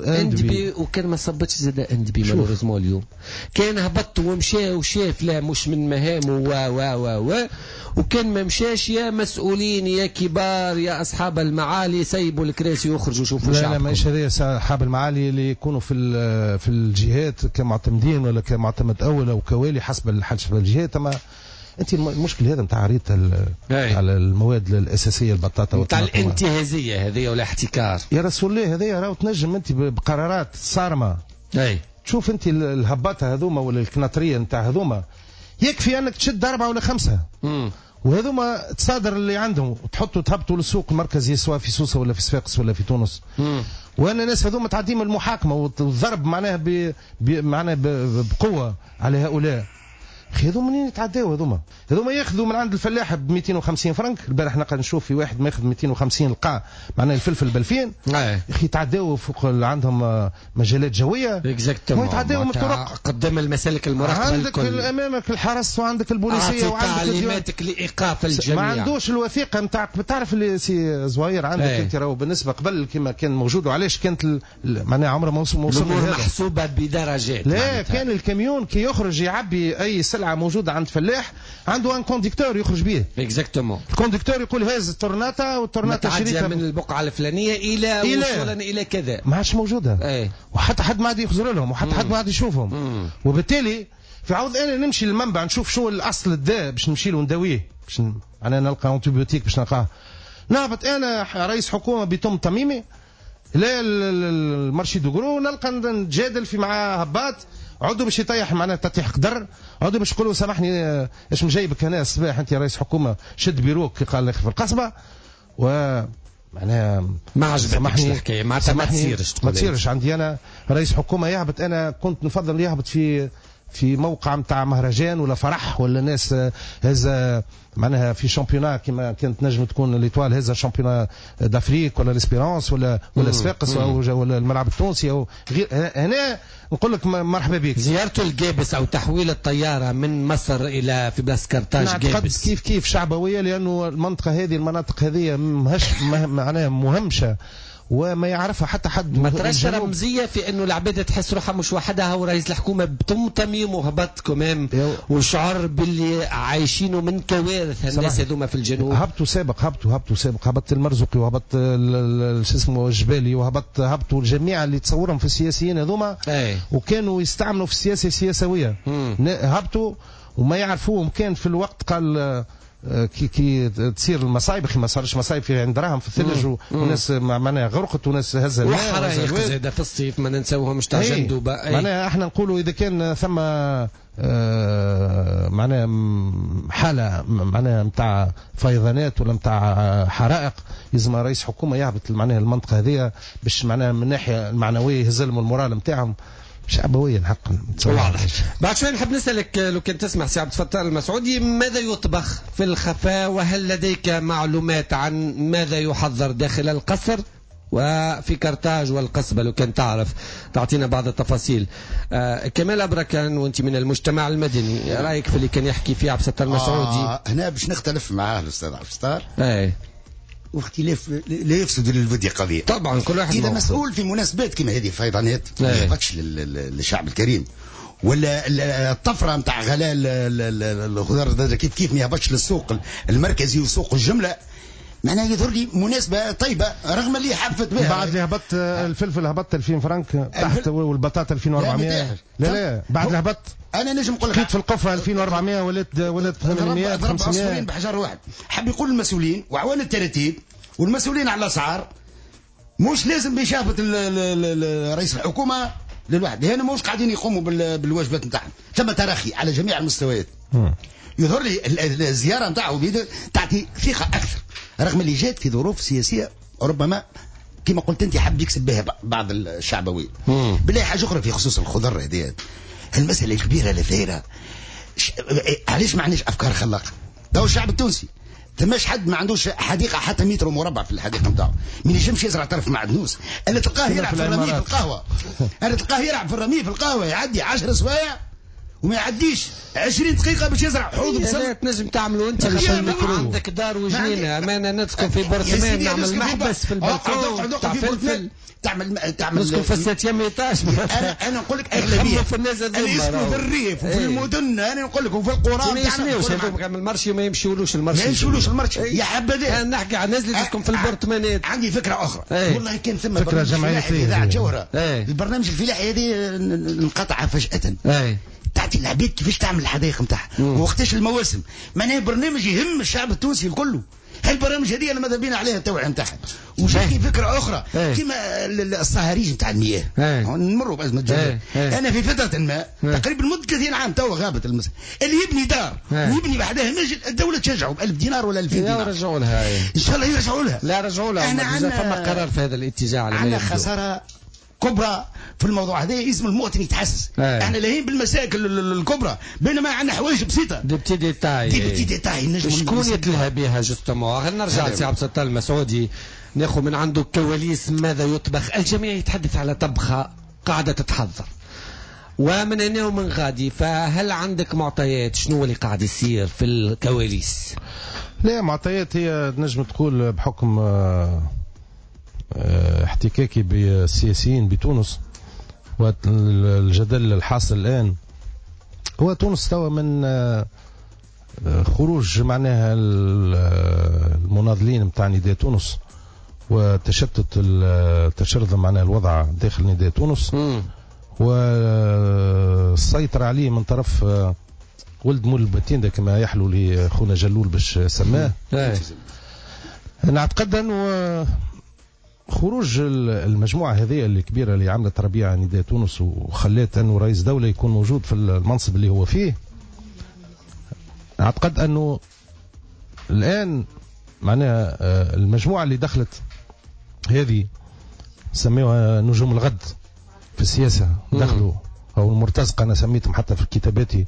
اندبي وكان ما صبتش زاد اندبي malheureusement اليوم كان هبط ومشى وشاف لا مش من مهامه و و و و وكان ما مشاش يا مسؤولين يا كبار يا اصحاب المعالي سيبوا الكراسي ويخرجوا شوفوا شعبكم. لا لا ماهيش هذه اصحاب المعالي اللي يكونوا في الجهات كمعتمدين ولا كمعتمد اول او كوالي حسب الجهات. اما انت المشكل هذا نتاع ريت على المواد الاساسية البطاطا نتاع الانتهازيه هذه ولا احتكار يا رسول الله، هذه راهو تنجم انت بقرارات صارمة اي تشوف انت الهباطه هذوما ولا الكناطريه نتاع هذوما، يكفي انك تشد 4 ولا 5 وهذوما تصادر اللي عندهم وتحطوا تهبطوا للسوق المركزي سواء في سوسة ولا في صفاقس ولا في تونس. وان الناس هذوما تعديم المحاكمة والضرب معناها معناها بقوة على هؤلاء. اخي هذوما منين يتعداو هذوما؟ هذوما ياخذوا من عند الفلاح ب 250 فرنك، البارح نقعد نشوف في واحد ماخذ 250 لقى معناها الفلفل ب 2000. اخي يتعداو فوق عندهم مجالات جوية. exactement. ويتعداو من الطرق قدام المسالك المراقبة عندك الكل. امامك الحرس وعندك البوليسيه وعندك تعليماتك لايقاف الجميع. ما عندوش الوثيقة نتاع تعرف اللي سي زهير عندك انت راهو بالنسبة قبل كما كان موجود، وعلاش كانت معناها عمره ما وصل محسوبة بدرجات. لا معناتها. كان الكاميون كي يخرج يعبي اي سلعه موجودة عند فلاح عنده un conducteur يخرج به. exactement. ال conducteur يقول هاز التورناتا والتورناتا شريتها من البقعة الفلانية الى وصولا الى كذا. ما عادش موجودة. ايه. وحتى حد ما عاد يخزر لهم وحتى حد ما عاد يشوفهم. وبالتالي في عوض انا نمشي للمنبع نشوف شو الاصل الداء باش نمشي له ونداويه باش انا نلقى antibiotique باش نلقاه. نهبط انا رئيس حكومة بتم تميمي لا ال marché de gros نلقى نتجادل في مع هباط عدوا باش يطيح معناها تطيح قدر، عدوا باش يقولوا سامحني ايش مجايبك هنا الصباح انت رئيس حكومة شد بيروك قال لك في القصبة و معناها ما عجبتكش الحكاية معناتها ما تصيرش. ما تصيرش عندي انا رئيس حكومة يهبط، انا كنت نفضل يهبط في موقع نتاع مهرجان ولا فرح ولا ناس هذا معناها في championnat كما كانت نجم تكون l'Étoile هذا championnat d'Afrique ولا l'Espérance ولا صفاقس ولا الملعب التونسي او غير. هنا نقول لك مرحبا بك. زيارته الجابس او تحويل الطيارة من مصر الى في بلاصة كرتاج جابس كيف كيف شعبويه، لانه المنطقة هذه المناطق هذه معناها مهمشه وما يعرفها حتى حد. ما تراش رمزية في انه العباد تحس روحها مش وحدها ورئيس الحكومة بتم تميم وهبط كمام وشعر باللي عايشينه من كوارث الناس هذوما في الجنوب. هبطوا سابق هبطوا سابق، هبط المرزقي وهبط شو اسمه الجبالي وهبط هبطوا الجميع اللي تصورهم في السياسيين هذوما وكانوا يستعملوا في السياسة السياسويه. هبطوا وما يعرفوهم كان في الوقت قال كي تصير المصايب. اخي ما صارش مصايب في عند دراهم في الثلج وناس معناها غرقت وناس هزها وحرايق زاده في الصيف ما ننساوهمش تاع جندوبه. معناها احنا نقولوا اذا كان ثم معناها حاله معناها نتاع فيضانات ولا نتاع حرائق لازم رئيس حكومة يهبط معناها المنطقة هذه باش معناها من الناحية المعنوية يهزلهم ال moral نتاعهم. شعبويا حقا. واضح. بعد شوي نحب نسألك لو كان تسمح سي عبد الفتاح المسعودي، ماذا يطبخ في الخفاء وهل لديك معلومات عن ماذا يحضر داخل القصر وفي كرتاج والقصبة؟ لو كان تعرف تعطينا بعض التفاصيل. كمال أبركان وانت من المجتمع المدني، رأيك في اللي كان يحكي فيه عبد الستار المسعودي؟ هنا باش نختلف معاه الأستاذ عبد الستار. واختلاف لا يفسد للودي قضية. طبعا كل واحد إذا مسؤول في مناسبات كما هذه فيضانات ما يهبطش للشعب الكريم، ولا الطفرة نتاع غلاء الخضار كيف كيف ما يهبطش للسوق المركزي وسوق الجملة. معناها يظهر لي مناسبة طيبة رغم اللي حفت بها. بعد اللي هبط الفلفل هبط 2000 فرنك تحت والبطاطا 2400. لا لا بعد اللي هبط انا نجم نقول لك لقيت في القفه 2400 ولات 800 500 بحجر واحد. حب يقول المسؤولين وعوان التراتيب والمسؤولين على الاسعار مش لازم باش يهبط رئيس الحكومة للواحد، لان مش قاعدين يقوموا بالواجبات نتاعهم. ثم تراخي على جميع المستويات. يظهر لي الزيارة نتاعو تعطي ثقة اكثر رغم اللي جات في ظروف سياسية ربما كما قلت انت حب يكسب بها بعض الشعبوية. بالله حاجة اخرى في خصوص الخضر هذه المسألة الكبيرة اللي ثايرة، علاش ما عندناش أفكار خلاقة؟ تو الشعب التونسي ثماش حد ما عندوش حديقة حتى متر مربع في الحديقة نتاعو، ما ينجمش يزرع طرف معدنوس، اللي تلقاه يلعب في الرمي في القهوة، اللي تلقاه يلعب في الرمي في القهوة يعدي 10 سوايع وما يعديش 20 دقيقة باش يزرع حوض بصل. تنجم تعملوا انت عندك دار وجنينة، اما انا نسكن في برطمان نعمل محبس في البلكون تاع فلفل، تعمل نسكن في ال septième étage. انا نقول لك اغلبية في الناس اللي يسكنوا في الريف وفي المدن، انا نقول لك وفي القرى ما يشريوش هذوك من ال marché وما يمشيولوش ال marché، ما يمشيولوش ال marché يا حبذا. انا نحكي على الناس اللي تسكن في البرطمانات. عندي فكرة اخرى والله كان ثم فكرة جمعية اذاعة جوهره، البرنامج الفلاحي هذه انقطع فجاة. تعطي العباد كيفاش تعمل الحدائق نتاعها ووقتاش المواسم، معناها برنامج يهم الشعب التونسي الكل. هالبرامج هذه انا ماذا بينا عليها التوعية نتاعها. وجاتني فكرة اخرى كما الصهاريج نتاع المياه، نمروا بازمه جفاف. انا في فترة ما تقريبا مده 30 عام توا غابت اللي يبني دار ويبني بحداه منزل الدولة تشجعه ب 1000 دينار ولا 2000 دينار. يرجعوا لها ان شاء الله يرجعوا لها. لا رجعوا لها، احنا فما قرار في هذا الاتجاه. على عندنا خسارة كبرى في الموضوع هذا، اسم المواطن يتحسس. احنا لاهين بالمساكل الكبرى بينما عندنا حوايج بسيطة، des petits détails، des petits détails شكون يتلهى بها justement. خلينا نرجع لسي عبد الستار المسعودي، ناخذ من عنده كواليس ماذا يطبخ. الجميع يتحدث على طبخه قاعدة تتحضر ومن هنا ومن غادي، فهل عندك معطيات شنو اللي قاعد يصير في الكواليس؟ لا معطيات هي نجم تقول بحكم احتكاكي بالسياسيين بتونس والجدل الحاصل الآن، هو تونس توا من خروج معناها المناضلين متاع نداء تونس وتشتت التشرذم معناها الوضع داخل نداء تونس والسيطرة عليه من طرف ولد مول البتين كما يحلو لي خونا جلول باش سماه. نعتقد أنه خروج المجموعة هذه الكبيرة اللي عملت ربيع نداء تونس وخلت أنه رئيس دولة يكون موجود في المنصب اللي هو فيه، أعتقد أنه الآن معناها المجموعة اللي دخلت هذه سميوها نجوم الغد في السياسة، دخلوا أو المرتزقة، أنا سميتهم حتى في كتاباتي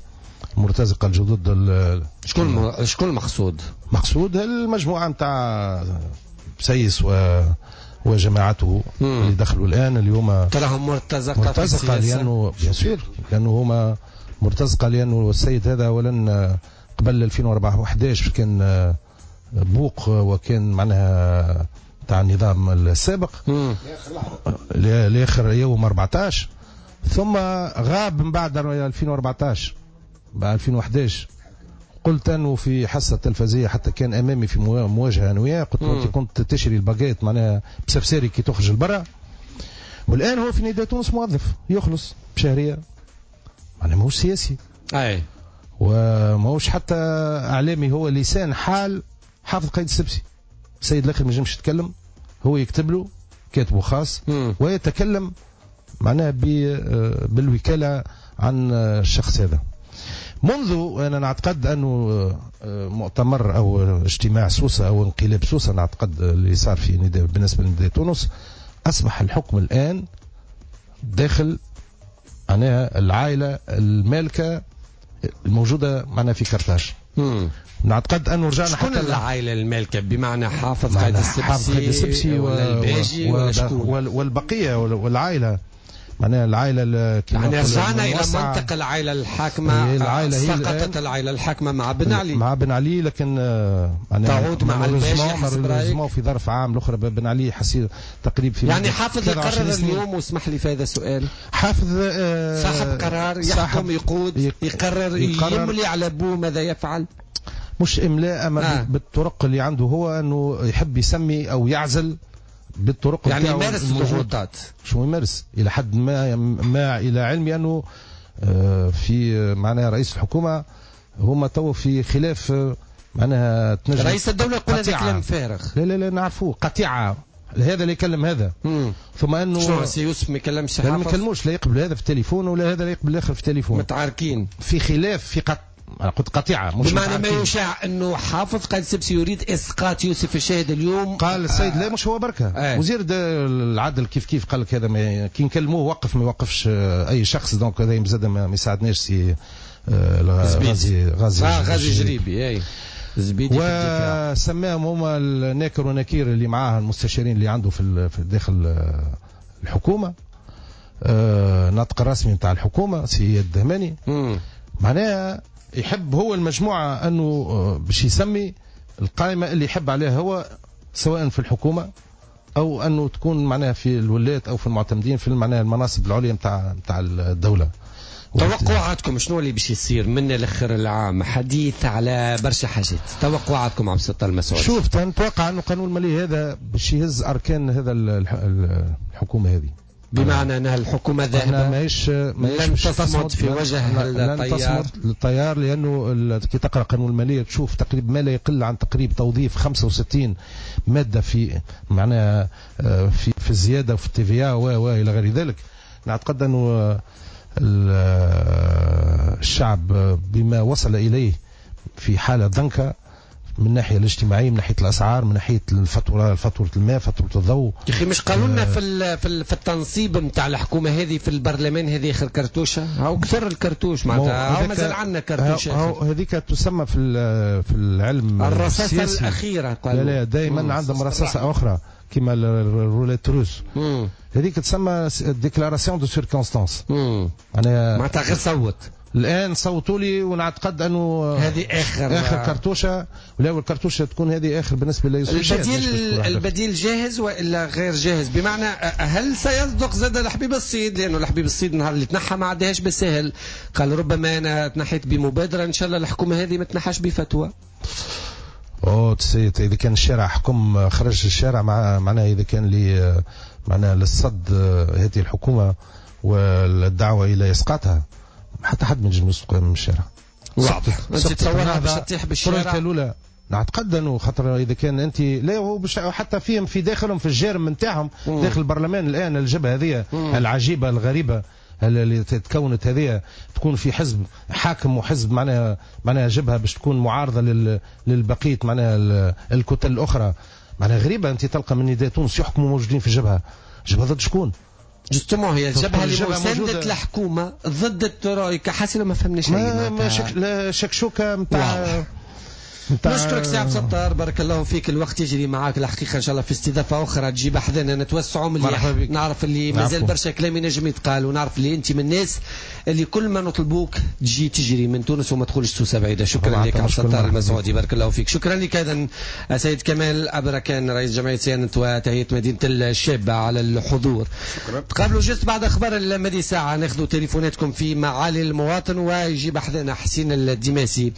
المرتزقة الجدد. شكون المقصود؟ مقصود المجموعة نتاع سيس وجماعته اللي دخلوا الآن اليوم. تراهم مرتزقة، مرتزقة لأنه bien sûr، لأنه هما مرتزقة لأنه السيد هذا أولا قبل 2011 كان بوق وكان معناها تاع النظام السابق لآخر يوم 14، ثم غاب من بعد 2014 بعد 2011. قلت أنه في حصة تلفزية حتى كان أمامي في مواجهة أنا وياه، قلت له أنت كنت تشري الباجيت معناها بسفساري كي تخرج لبرا، والآن هو في نداء تونس موظف يخلص بشهرية، معناها ماهوش سياسي أي وماهوش حتى إعلامي، هو لسان حال حافظ قيد السبسي. السيد الآخر ما ينجمش يتكلم، هو يكتب له كاتبه خاص ويتكلم معناها بالوكالة عن الشخص هذا. منذ أنا نعتقد أنه مؤتمر أو اجتماع سوسة أو انقلاب سوسة، نعتقد اللي صار في نداء بالنسبة لنداء تونس، أصبح الحكم الآن داخل معناها العائلة المالكة الموجودة معنا في كرتاج. نعتقد أنه رجعنا حتى العائلة المالكة بمعنى حافظ قايد السبسي ولا الباجي ولا شكون والبقية والعائلة، معناها العائلة يعني رجعنا إلى منطق العائلة الحاكمة. العائلة سقطت العائلة الحاكمة مع بن علي، مع بن علي، لكن تعود مع الباجي حسب رأيك في ظرف عام الأخرى بن علي حسير تقريب في يعني حافظ يقرر اليوم، واسمح لي في هذا السؤال، حافظ صاحب قرار يحكم يقود يقرر يملي على بوه ماذا يفعل، مش إملاء أما بالطرق اللي عنده هو، أنه يحب يسمي أو يعزل بالطرق يعني يمارس الضغوطات. شو يمارس إلى حد ما إلى علمي أنه في معناها رئيس الحكومة هما تو في خلاف معناها تنجم رئيس الدولة يقول هذا كلام فارغ. لا لا لا نعرفوه قطيعة، هذا اللي يكلم هذا. ثم أنه شنو سي يوسف ما يكلمش حافظ؟ ما يكلموش، لا يقبل هذا في التليفون ولا هذا لا يقبل الآخر في التليفون، متعاركين في خلاف في قلت قطيعة، مش بمعنى ما يشاع أنه حافظ قائد السبسي يريد إسقاط يوسف الشاهد اليوم. قال السيد لا مش هو بركة وزير العدل كيف كيف قال لك هذا ما كي نكلموه وقف ما يوقفش أي شخص، donc هذا زاد ما يساعدناش سي غازي جريبي أي زبيدي وسماهم هما الناكر ونكير اللي معاه المستشارين اللي عنده في داخل الحكومة، ناطق الرسمي نتاع الحكومة سي الدهماني. معناها يحب هو المجموعة أنه باش يسمي القائمة اللي يحب عليها هو، سواء في الحكومة أو أنه تكون معناها في الولايات أو في المعتمدين في معناها المناصب العليا متاع الدولة. توقعاتكم شنو اللي باش يصير من الآخر العام؟ حديث على برشا حاجات، توقعاتكم عبد الستار المسعود؟ شوف نتوقع أنه قانون المالية هذا باش يهز أركان هذا الحكومة هذه. بمعنى أنها الحكومة ذاهبة ماهيش لن تصمد في وجه التيار، لن تصمد للتيار، لأنه كي تقرأ قانون المالية تشوف تقريبا ما لا يقل عن تقريب توظيف 65 مادة في معناها في الزيادة وفي ال TVA وإلى غير ذلك. نعتقد أنه الشعب بما وصل إليه في حالة ضنكة من الناحية الاجتماعية، من ناحية الأسعار، من ناحية الفاتورة، فاتورة الماء، فاتورة الضوء. يا أخي مش قالوا لنا في التنصيب نتاع الحكومة هذه في البرلمان هذه آخر كرتوشة، هاو كثر الكرتوش معناتها، هاو مازال عندنا كرتوشة. هذيك تسمى في العلم الرصاصة الأخيرة. قالوا لا دائما عندهم رصاصة أخرى كما ال roulette russe، هذيك تسمى déclaration de circonstance، معناتها غير صوت الآن صوتوا لي، ونعتقد أنه هذه آخر كرتوشة، ولا الكرتوشة تكون هذه آخر بالنسبة ليوسف. البديل جاهز وإلا غير جاهز؟ بمعنى هل سيصدق زاد الحبيب الصيد؟ لأنه الحبيب الصيد النهار اللي تنحى ما عداهاش بالسهل، قال ربما أنا تنحيت بمبادرة، إن شاء الله الحكومة هذه ما تنحاش بفتوى. إذا كان الشارع حكم خرج الشارع معناها إذا كان لي معناها للصد هذه الحكومة والدعوة إلى إسقاطها، حتى حد ما ينجم يسقط من الشارع. واضح. انت تصورها باش تطيح بالشارع؟ الاولى نعتقد انه خاطر اذا كان انت لا هو حتى فيهم في داخلهم في الجرم نتاعهم داخل البرلمان الان الجبهة هذه العجيبة الغريبة اللي تكونت هذه، تكون في حزب حاكم وحزب معناها جبهة باش تكون معارضة للبقيه معناها الكتل الاخرى، معناها غريبة. انت تلقى من نداء تونس يحكموا موجودين في جبهة ضد شكون؟ justement هي الجبهة اللي مساندت الحكومة ضد الترويكا، حاسه ما فهمناش ما شكشوكه نتاع. نشكرك سي عبد الستار، بارك الله فيك، الوقت يجري معاك الحقيقة. ان شاء الله في استضافة اخرى تجيب حذانا نتوسعوا مليح، نعرف اللي مازال برشا كلام ينجم يتقال، ونعرف اللي انت من الناس اللي كل ما نطلبوك تجي تجري من تونس وما تدخلش سوسة بعيدة. شكرا لك عبد الستار المسعودي، بارك الله فيك. شكرا لك ايضا سيد كمال ابركان رئيس جمعية صيانة وتهيئه مدينة الشابة على الحضور. شكرا. تقابلوا juste بعد اخبار المدي ساعة، ناخذوا تليفوناتكم في معالي المواطن، ويجيب حذانا حسين الدماسي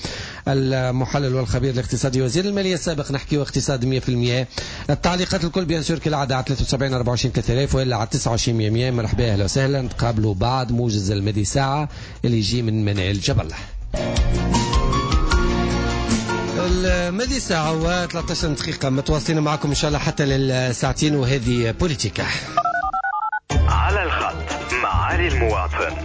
المحلل والخبير الاقتصادي وزير المالية السابق، نحكي اقتصاد 100%. التعليقات الكل bien sûr كالعادة على 73 24 3000 والا على 29 100. مرحبا، اهلا وسهلا، نتقابلوا بعد موجز المدي ساعة اللي يجي من منال جبل. المدي ساعة و13 دقيقة، متواصلين معكم ان شاء الله حتى للساعتين، وهذه بوليتيكا على الخط معالي المواطن.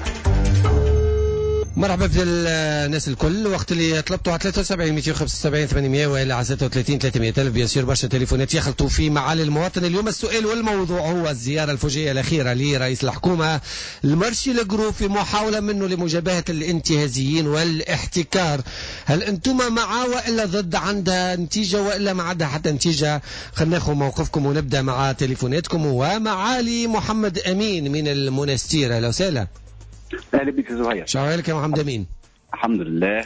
مرحبا بالناس الكل، وقت اللي طلبتوا على 73 275 800 والى على 36 300 الف. bien sûr برشا تليفونات يخلطوا في معالي المواطن. اليوم السؤال والموضوع هو الزيارة الفجائيه الاخيرة لرئيس الحكومة ال marché ال gros في محاولة منه لمجابهه الانتهازيين والاحتكار. هل انتم مع والا ضد؟ عندها نتيجة والا ما عندها حتى نتيجة؟ خلينا ناخذ موقفكم ونبدا مع تليفوناتكم. ومعالي محمد امين من المنستير، اهلا وسهلا. اهلا بك زهير. شو حالك يا محمد امين؟ الحمد لله.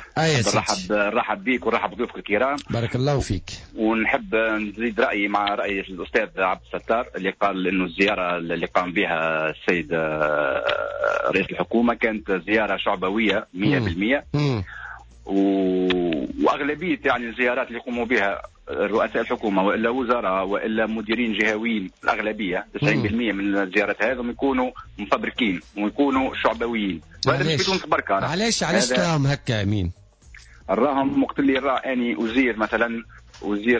نرحب بك ونرحب بضيوفك الكرام. بارك الله فيك. ونحب نزيد رايي مع راي الاستاذ عبد الستار اللي قال انه الزيارة اللي قام بها السيد رئيس الحكومة كانت زيارة شعبويه 100%. واغلبيه يعني الزيارات اللي يقوموا بها رؤساء الحكومة والا وزراء والا مديرين جهويين، الاغلبية 90% من الزيارات هذم يكونوا مفبركين ويكونوا شعبويين. وهذا مش في تونس بركة. علاش راهم هكا امين؟ راهم وقت اللي راني وزير مثلا وزير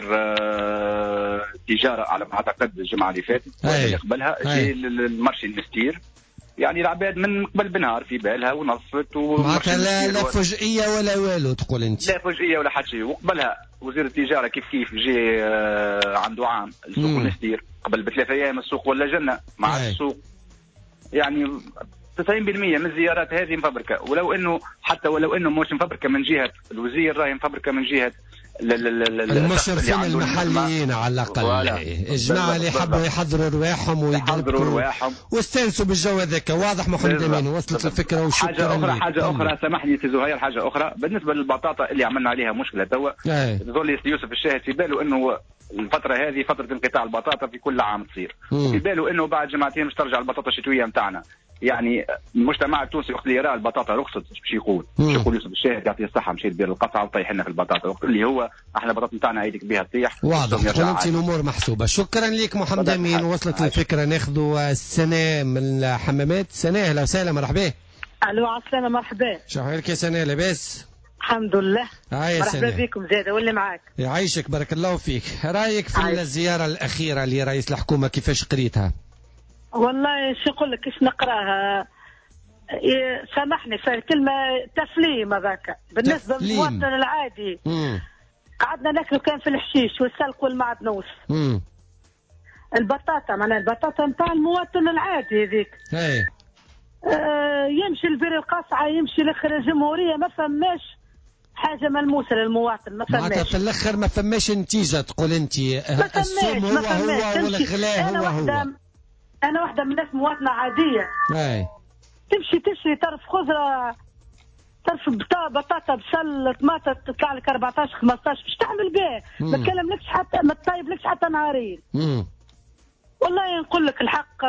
تجارة على ما اعتقد الجمعة اللي فاتت اللي قبلها جاي لل marché المستير، يعني العباد من قبل بنهار في بالها ونصت معناتها لا فجئيه ولا والو تقول انت؟ لا فجئيه ولا حتى شيء. وقبلها وزير التجارة كيف كيف جي عنده عام السوق المستير قبل بثلاث ايام السوق ولا جنة مع السوق. يعني 90% من الزيارات هذه مفبركه، ولو انه حتى ولو انه مش مفبركه من جهة الوزير راهي مفبركه من جهة المشرفين المحليين على الاقل، الجماعة اللي حبوا يحضروا رواحهم ويدربوا واستانسوا بالجو هذاك. واضح محمد امين، وصلت الفكرة وشكرا. حاجة اخرى، حاجة اخرى سامحني سي زهير، حاجة اخرى بالنسبة للبطاطا اللي عملنا عليها مشكلة توا. ظل يوسف الشاهد في باله انه الفترة هذه فترة انقطاع البطاطا في كل عام تصير، في باله انه بعد جمعتين مش ترجع البطاطا الشتوية نتاعنا. يعني المجتمع التونسي وقت اللي يرى البطاطا رخصت باش يقول باش يقول يوسف الشاهد يعطيه الصحة مشى يدير القطعة وطيح لنا في البطاطا، وقت اللي هو احنا البطاطا نتاعنا عيدك بها تطيح. واضح، قلت الامور محسوبة. شكرا لك محمد امين، وصلت الفكرة. ناخذوا السناء من الحمامات. سناء اهلا وسهلا، مرحبا. الو عسلامة، مرحبا. شو احوالك يا سناء، لاباس؟ الحمد لله. مرحبا بكم زاده واللي معاك. يعيشك، بارك الله فيك. رايك في الزيارة الاخيرة لرئيس الحكومة كيفاش قريتها؟ والله شو نقول لك، كيش نقراها، سامحني في الكلمة، تفليم هذاك بالنسبة للمواطن العادي. قعدنا ناكلوا كان في الحشيش والسلق والمعدنوس. البطاطا، معناها البطاطا نتاع المواطن العادي هذيك. يمشي البير القصعه، يمشي لاخر الجمهورية، ما فماش حاجة ملموسة للمواطن، ما فماش. معناتها في الاخر ما فماش نتيجة تقول انت. السوم هو هو والغلاء هو هو. انا واحدة من الناس مواطنه عادية. تمشي تشري طرف خضرة، طرف بطاطا، بصل، طماطم، تطلع لك 14 15، باش تعمل به؟ ما تكلملكش حتى، ما تطيبلكش حتى نهارين. والله نقول لك الحق.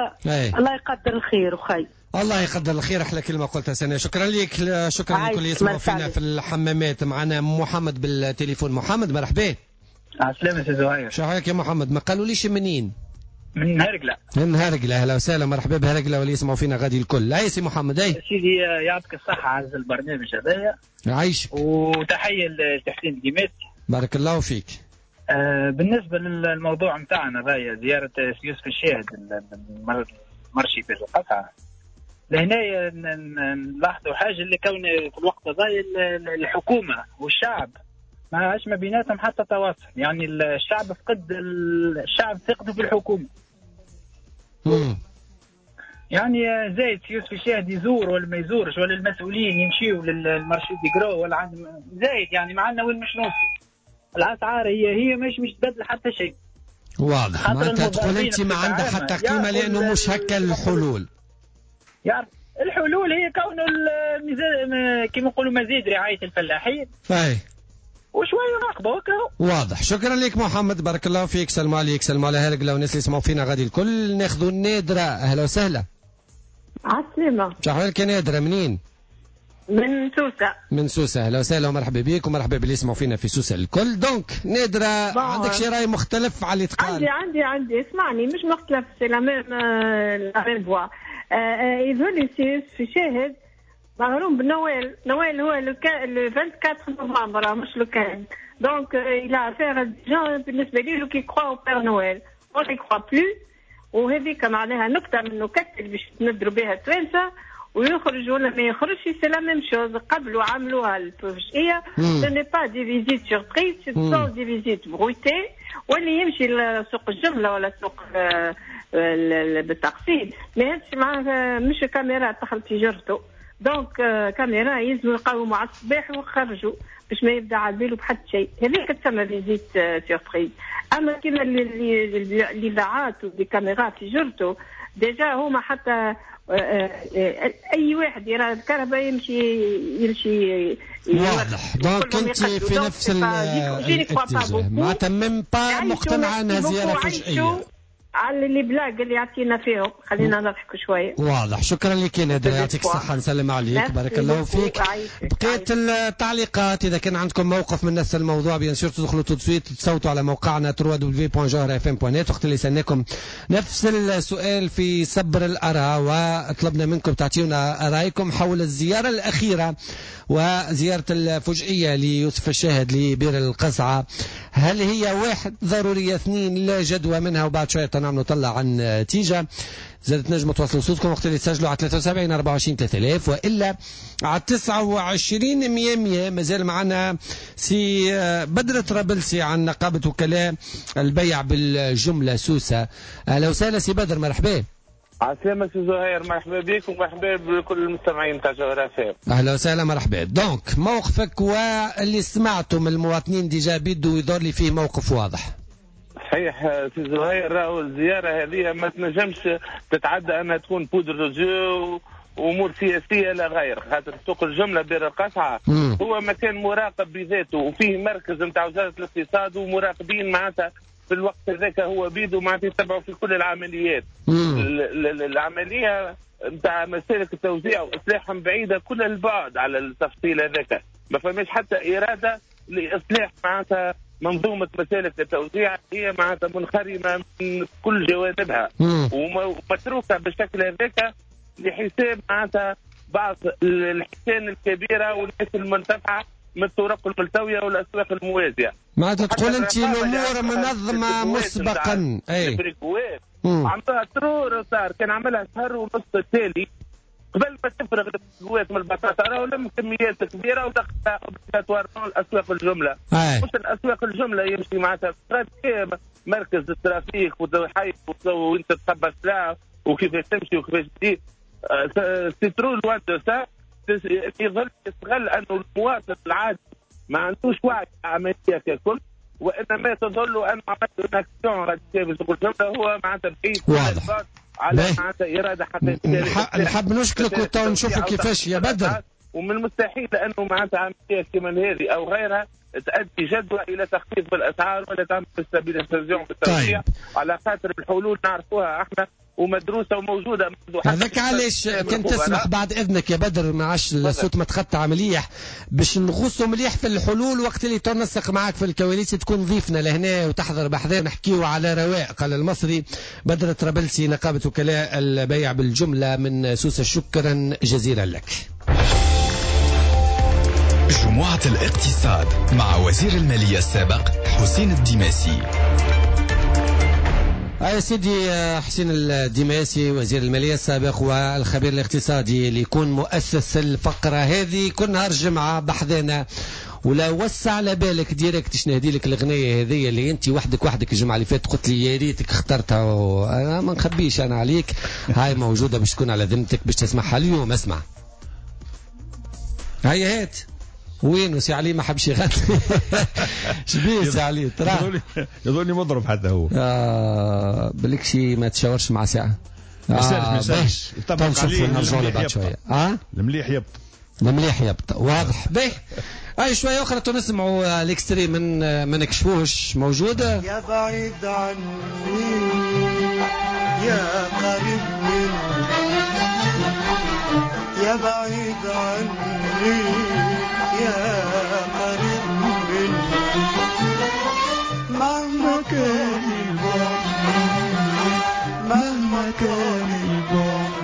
الله يقدر الخير وخي. الله يقدر الخير، احلى كلمة قلتها سناء. شكرا لك، شكرا لكل اللي يسمعوا فينا في الحمامات. معنا محمد بالتليفون. محمد مرحبا. عسلامة سي زهير. شو حالك يا محمد؟ ما قالوليش منين؟ من هرقلة. من هرقلة، اهلا وسهلا، مرحبا بهرقلة واللي يسمعوا فينا غادي الكل. اي سي محمد. اي سيدي يعطيك الصحة على البرنامج هذايا. يعيشك. وتحية لتحسين الديمات. بارك الله فيك. بالنسبة للموضوع نتاعنا هذايا، زيارة يوسف الشاهد ال marché في القصعة، لهنا نلاحظوا حاجة اللي كون في الوقت هذايا الحكومة والشعب ما عادش ما بيناتهم حتى تواصل، يعني الشعب فقد، الشعب ثقته في الحكومة. يعني زايد يوسف الشاهد يزور ولا ما يزورش، ولا المسؤولين يمشيوا لل marché de gros ولا عند زايد، يعني ما عندنا وين مش نوصل. الاسعار هي مش تبدل حتى شيء. واضح، معناتها تقول انت ما عندها حتى قيمة لانه مش هكا الحلول. يعني الحلول هي كون كيما نقولوا مزيد رعاية الفلاحين. اي وشوية راقبه وكا. واضح، شكرا لك محمد، بارك الله فيك. سلام عليك، سلام على هرقله والناس اللي يسمعوا فينا غادي الكل. ناخذوا النادرة، اهلا وسهلا. عسلامة. شو احوالك يا نادرة، منين؟ من سوسة. من سوسة، اهلا وسهلا ومرحبا بك ومرحبا باللي يسمعوا فينا في سوسة الكل. donc نادرة، عندك شي راي مختلف على اللي تقال؟ عندي اسمعني، مش مختلف، c'est la même voie. يظهر لي سي في شاهد مغروم بنويل. نويل هو le 24 نوفمبر، مش le 15. donc il a affaire à des gens بالنسبة لي qui croient au Père Noël، on y croit plus. وهذيك معناها نكتة من النكت اللي باش تندروا بها التوانسة، ويخرج ولا ما يخرجش c'est la même chose. قبلوا عملوها الفجئيه، ce n'est pas des visites surprises، ce sont des visites bruitées. واللي يمشي لسوق الجملة ولا سوق بالتقسيط ما يهزش معاه مش كاميرا تدخل تجارته. donc كاميرا يلزموا يقاوموا على الصباح ويخرجوا باش ما يبدا على باله بحد شيء. هذيك تسمى visite surprise. اما كيما الاذاعات و des caméras في جرته déjà هما حتى اي واحد يرى الكهرباء يمشي. واضح. donc انت في نفس الاتجاه، معناتها même pas مقتنعة انها زيارة فجائيه على les blagues اللي يعطينا فيهم. خلينا نضحكوا شوية. واضح، شكرا لك يا نادر، يعطيك الصحة، نسلم عليك، بارك الله فيك. بقية التعليقات اذا كان عندكم موقف من نفس الموضوع bien sûr تدخلوا tout de suite تصوتوا على موقعنا www.jawharafm.net. وقت اللي سالناكم نفس السؤال في سبر الاراء وطلبنا منكم تعطيونا رايكم حول الزيارة الاخيرة وزيارة الفجئيه ليوسف الشاهد لبير القصعه، هل هي واحد ضرورية، اثنين لا جدوى منها، وبعد شوية نعملوا طلع عن نتيجة. زادت نجموا تواصلوا صوتكم وقت اللي تسجلوا على 73 24 3000 والا على 29 100 100. مازال معنا سي بدر طرابلسي عن نقابة وكلاء البيع بالجملة سوسة. اهلا وسهلا سي بدر، مرحبا. عسلامة سي زهير، مرحبا بك ومرحبا بكل المستمعين تاع جوهرة FM. اهلا وسهلا، مرحبا. donc موقفك واللي سمعته من المواطنين déjà بيدو يظهر لي فيه موقف واضح. صحيح سي زهير، راهو الزيارة هذه ما تنجمش تتعدى انها تكون poudre aux yeux وامور سياسية لا غير، خاطر سوق الجملة بير القصعه هو مكان مراقب بذاته وفيه مركز نتاع وزارة الاقتصاد ومراقبين معناتها في الوقت هذاك هو بيدو معناتها يتبعوا في كل العمليات. العملية نتاع مسالك التوزيع واصلاحهم بعيدة كل البعد على التفصيل هذاك، ما فماش حتى اراده لاصلاح معناتها منظومة مسالك التوزيع، هي معناتها منخرمه من كل جوانبها ومتروكه بالشكل هذاك لحساب معناتها بعض الحسان الكبيرة والناس المنتفعه من الطرق الملتوية والاسواق الموازيه. معناتها تقول انت الامور منظمة مسبقا. اي عملها trop retard، كان عملها شهر ونص التالي قبل ما تفرغ البريكوات من البطاطا، راهو لم كميات كبيرة ودخلها obligatoirement الاسواق الجملة. مش الاسواق الجملة يمشي معناتها مركز ال trafic وحي وانت تقبل سلعه وكيفاش تمشي وكيفاش تجي. c'est trop loin de ça. يظل يستغل انه المواطن العادي ما عندوش وعي عملية ككل، وانما تظل ان عملت action radical هو معناتها بعيد واضح على معناتها اراده حقيقية. نحب نشكرك وتو نشوفوا كيفاش يا بدر. ومن المستحيل انه معناتها عملية كما هذه او غيرها تؤدي جدوى الى تخفيض بالاسعار ولا تعمل stabilisation بالتوزيع. طيب. على خاطر الحلول نعرفوها احنا ومدروسه وموجودة. هذاك علاش كان تسمح بعد اذنك يا بدر، ما عادش الصوت ما تقطع مليح باش نغوصوا مليح في الحلول وقت اللي تنسق معاك في الكواليس تكون ضيفنا لهنا وتحضر بحذا نحكيو على رواق. قال المصري بدر طرابلسي نقابة وكلاء البيع بالجملة من سوسة، شكرا جزيلا لك. جمعة الاقتصاد مع وزير المالية السابق حسين الديماسي. يا سيدي حسين الديماسي وزير المالية السابق والخبير الاقتصادي اللي يكون مؤسس الفقرة هذه كل نهار جمعة بحذانا، ولا وسع على بالك direct نهدي لك الأغنية هذه اللي أنت وحدك الجمعة اللي فاتت قلت لي يا ريتك اخترتها، وأنا ما نخبيش أنا عليك، هاي موجودة باش تكون على ذمتك باش تسمعها اليوم. اسمع هيا هات. وين سي علي ما حبش يغني؟ شبيه سي علي ترى يظني مضرب حتى هو. بالك شي ما تشاورش مع ساعة. ما يسالش يطبق عليه. نرجعوا له بعد شوية. المليح يبطل. المليح يبطل واضح. به اي شوية اخرى نسمعوا ال extrait من ما نكشفوش موجودة. يا بعيد عني يا قريب مني، يا بعيد عني يا قريب مني، مهما كان البعد، مهما كان البعد،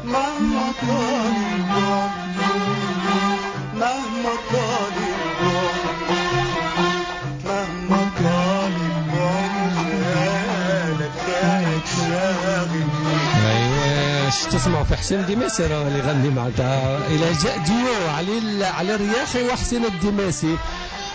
مهما كان البعد، مهما كان البعد، مهما كان البعد، خيالك خيالك شاغلني. ايوا تسمعوا في حسين الديماسي راه اللي يغني معناتها الى جاء ديو علي الرياحي وحسين الديماسي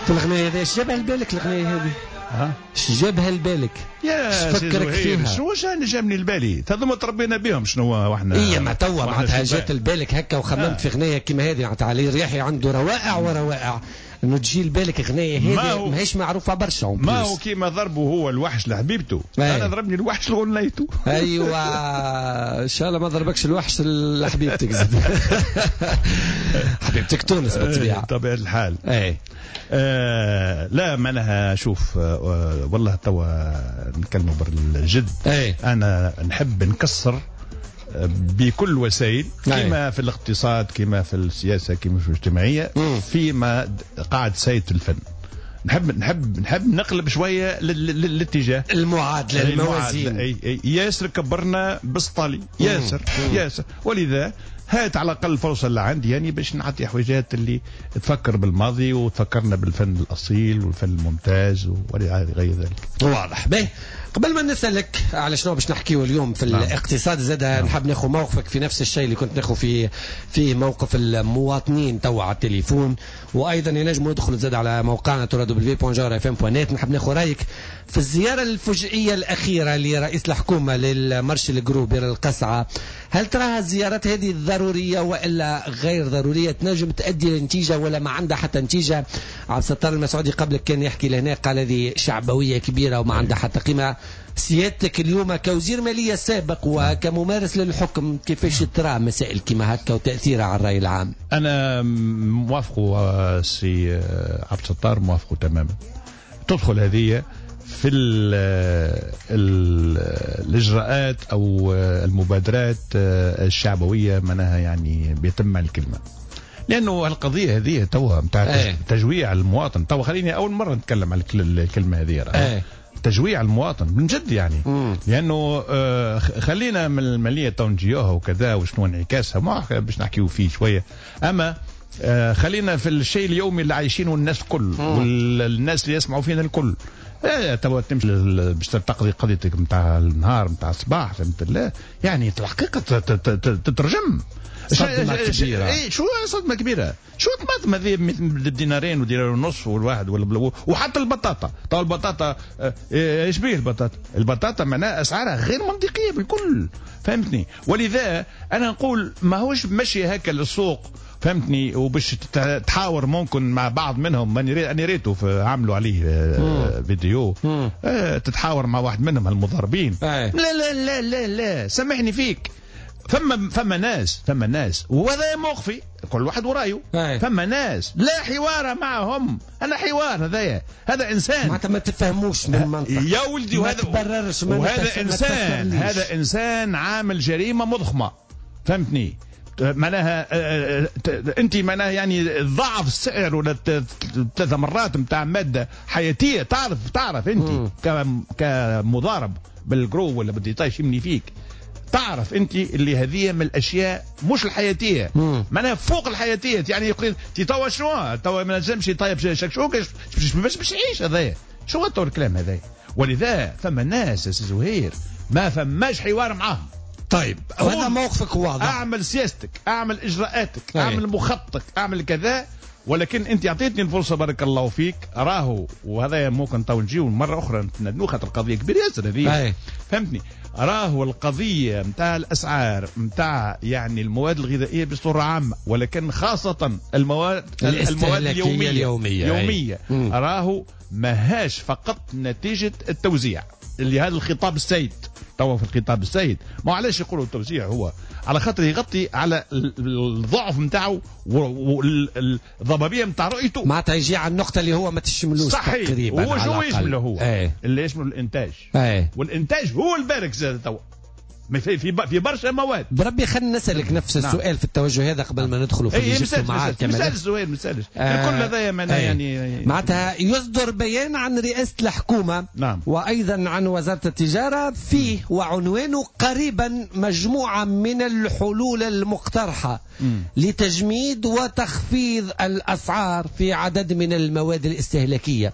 في الاغنية هذه. اش جابها لبالك الاغنية هذه؟ ها؟ اش جابها لبالك؟ يا فكرك فيها؟ شنو انا جابني لبالي؟ هذوما تربينا بهم شنو واحنا. اي ما توا معناتها جات لبالك هكا وخممت في اغنية كيما هذه. معناتها علي الرياحي عنده روائع وروائع، انه تجي لبالك اغنية هذه ماهيش معروفة برشا. ما هو كيما ضربه هو الوحش لحبيبته، انا ضربني الوحش لغنيته. ايوه ان شاء الله ما ضربكش الوحش لحبيبتك زاد. حبيبتك تونس بالطبيعة. بطبيعة الحال. اي لا معناها شوف والله توا نتكلموا بالجد. انا نحب نكسر بكل وسائل، كما في الاقتصاد كما في السياسة كما في الاجتماعية، فيما قاعد سيد الفن. نحب نحب نحب نقلب شوية للاتجاه المعادلة الموازين. ياسر كبرنا بالسطالي ياسر ياسر، ولذا هات على الاقل الفرصة اللي عندي يعني باش نعطي حويجات اللي تفكر بالماضي وتفكرنا بالفن الاصيل والفن الممتاز وغير ذلك. واضح. به قبل ما نسالك على شنو باش نحكيو اليوم في الاقتصاد زاد، نحب ناخذ موقفك في نفس الشيء اللي كنت ناخذ فيه موقف المواطنين توا على التليفون، وايضا ينجموا يدخلوا زاد على موقعنا www.jawharafm.net. نحب ناخذ رايك في الزيارة الفجئيه الاخيرة لرئيس الحكومة لل marché ال gros بير القصعه، هل تراها الزيارات هذه ضرورية والا غير ضرورية؟ تنجم تؤدي لنتيجة ولا ما عندها حتى نتيجة؟ عبد الستار المسعودي قبلك كان يحكي لهنا قال هذه شعبويه كبيرة وما عندها حتى قيمة. سيادتك اليوم كوزير مالية سابق وكممارس للحكم كيفاش ترى مسائل كما هكا وتأثيرها على الرأي العام؟ أنا موافقة سي عبد الستار، موافقة تماما. تدخل هذه في الاجراءات او المبادرات الشعبوية معناها يعني بيتم الكلمة، لانه القضية هذه توا نتاع تجويع المواطن. توا خليني اول مرة نتكلم على الكلمة هذه، تجويع المواطن من جد يعني. لانه خلينا من المالية تو نجيوها وكذا وشنو انعكاسها ما باش نحكيو فيه شوية، اما خلينا في الشيء اليومي اللي عايشينه الناس الكل والناس اللي يسمعوا فينا الكل. توا تمشي باش تقضي قضيتك نتاع النهار نتاع الصباح، فهمت؟ لا يعني الحقيقة تترجم صدمة كبيرة. اي شو صدمة كبيرة؟ شو طماطم هذه بدينارين ودينار ونص والواحد وحتى البطاطا. تو البطاطا ايش بيه البطاطا؟ البطاطا معناها اسعارها غير منطقية بالكل، فهمتني؟ ولذا انا نقول ماهوش مشي هكا للسوق، فهمتني؟ وباش تحاور ممكن مع بعض منهم، انا ريته عملوا عليه فيديو، تتحاور مع واحد منهم المضاربين. لا لا لا لا لا سامحني فيك، فما ناس وهذا موقفي، كل واحد ورايه. فما ناس لا حوار معهم، انا حوار هذايا، هذا انسان معناتها ما تفهموش من منطق يا ولدي، وهذا وهذا انسان، هذا انسان عامل جريمة مضخمه، فهمتني؟ معناها انت معناها يعني ضعف السعر ولا 3 مرات نتاع مادة حياتيه، تعرف انت كمضارب بال gros ولا بال détail يمني فيك، تعرف انت اللي هذه من الاشياء مش الحياتية، معناها فوق الحياتية. يعني يقول توا شنو توا ما نجمش يطيب شكشوكه باش يعيش هذايا، شو تو الكلام هذايا؟ ولذا فما ناس يا سي زهير ما فماش حوار معاهم. طيب هذا موقفك واضح، اعمل سياستك، اعمل اجراءاتك، اعمل مخططك، اعمل كذا، ولكن انت اعطيتني الفرصة بارك الله فيك. راهو وهذا ممكن تو نجيو مرة اخرى نتندنو خاطر القضية كبيرة ياسر هذه، فهمتني؟ راهو القضية نتاع الاسعار نتاع يعني المواد الغذائية بصورة عامة، ولكن خاصة المواد اليومية راهو ماهاش فقط نتيجة التوزيع اللي هذا الخطاب السيد توا في الخطاب السيد. ما علاش يقولوا التوزيع؟ هو على خاطر يغطي على الضعف نتاعو والضبابيه نتاع رؤيته، معناتها يجي على النقطة اللي هو ما تشملوش تقريبا. هو شو يشمله هو؟ اللي يشمل الانتاج. والانتاج هو البارك زاد توا في برشا مواد. بربي خلينا نسالك نفس السؤال في التوجه هذا قبل ما ندخلوا في الاجتماعات. ما نسالش زهير، ما نسالش الكل هذايا معناها يعني معناتها يصدر بيان عن رئاسة الحكومة، نعم، وأيضا عن وزارة التجارة فيه وعنوانه قريبا مجموعة من الحلول المقترحة لتجميد وتخفيض الأسعار في عدد من المواد الاستهلاكية.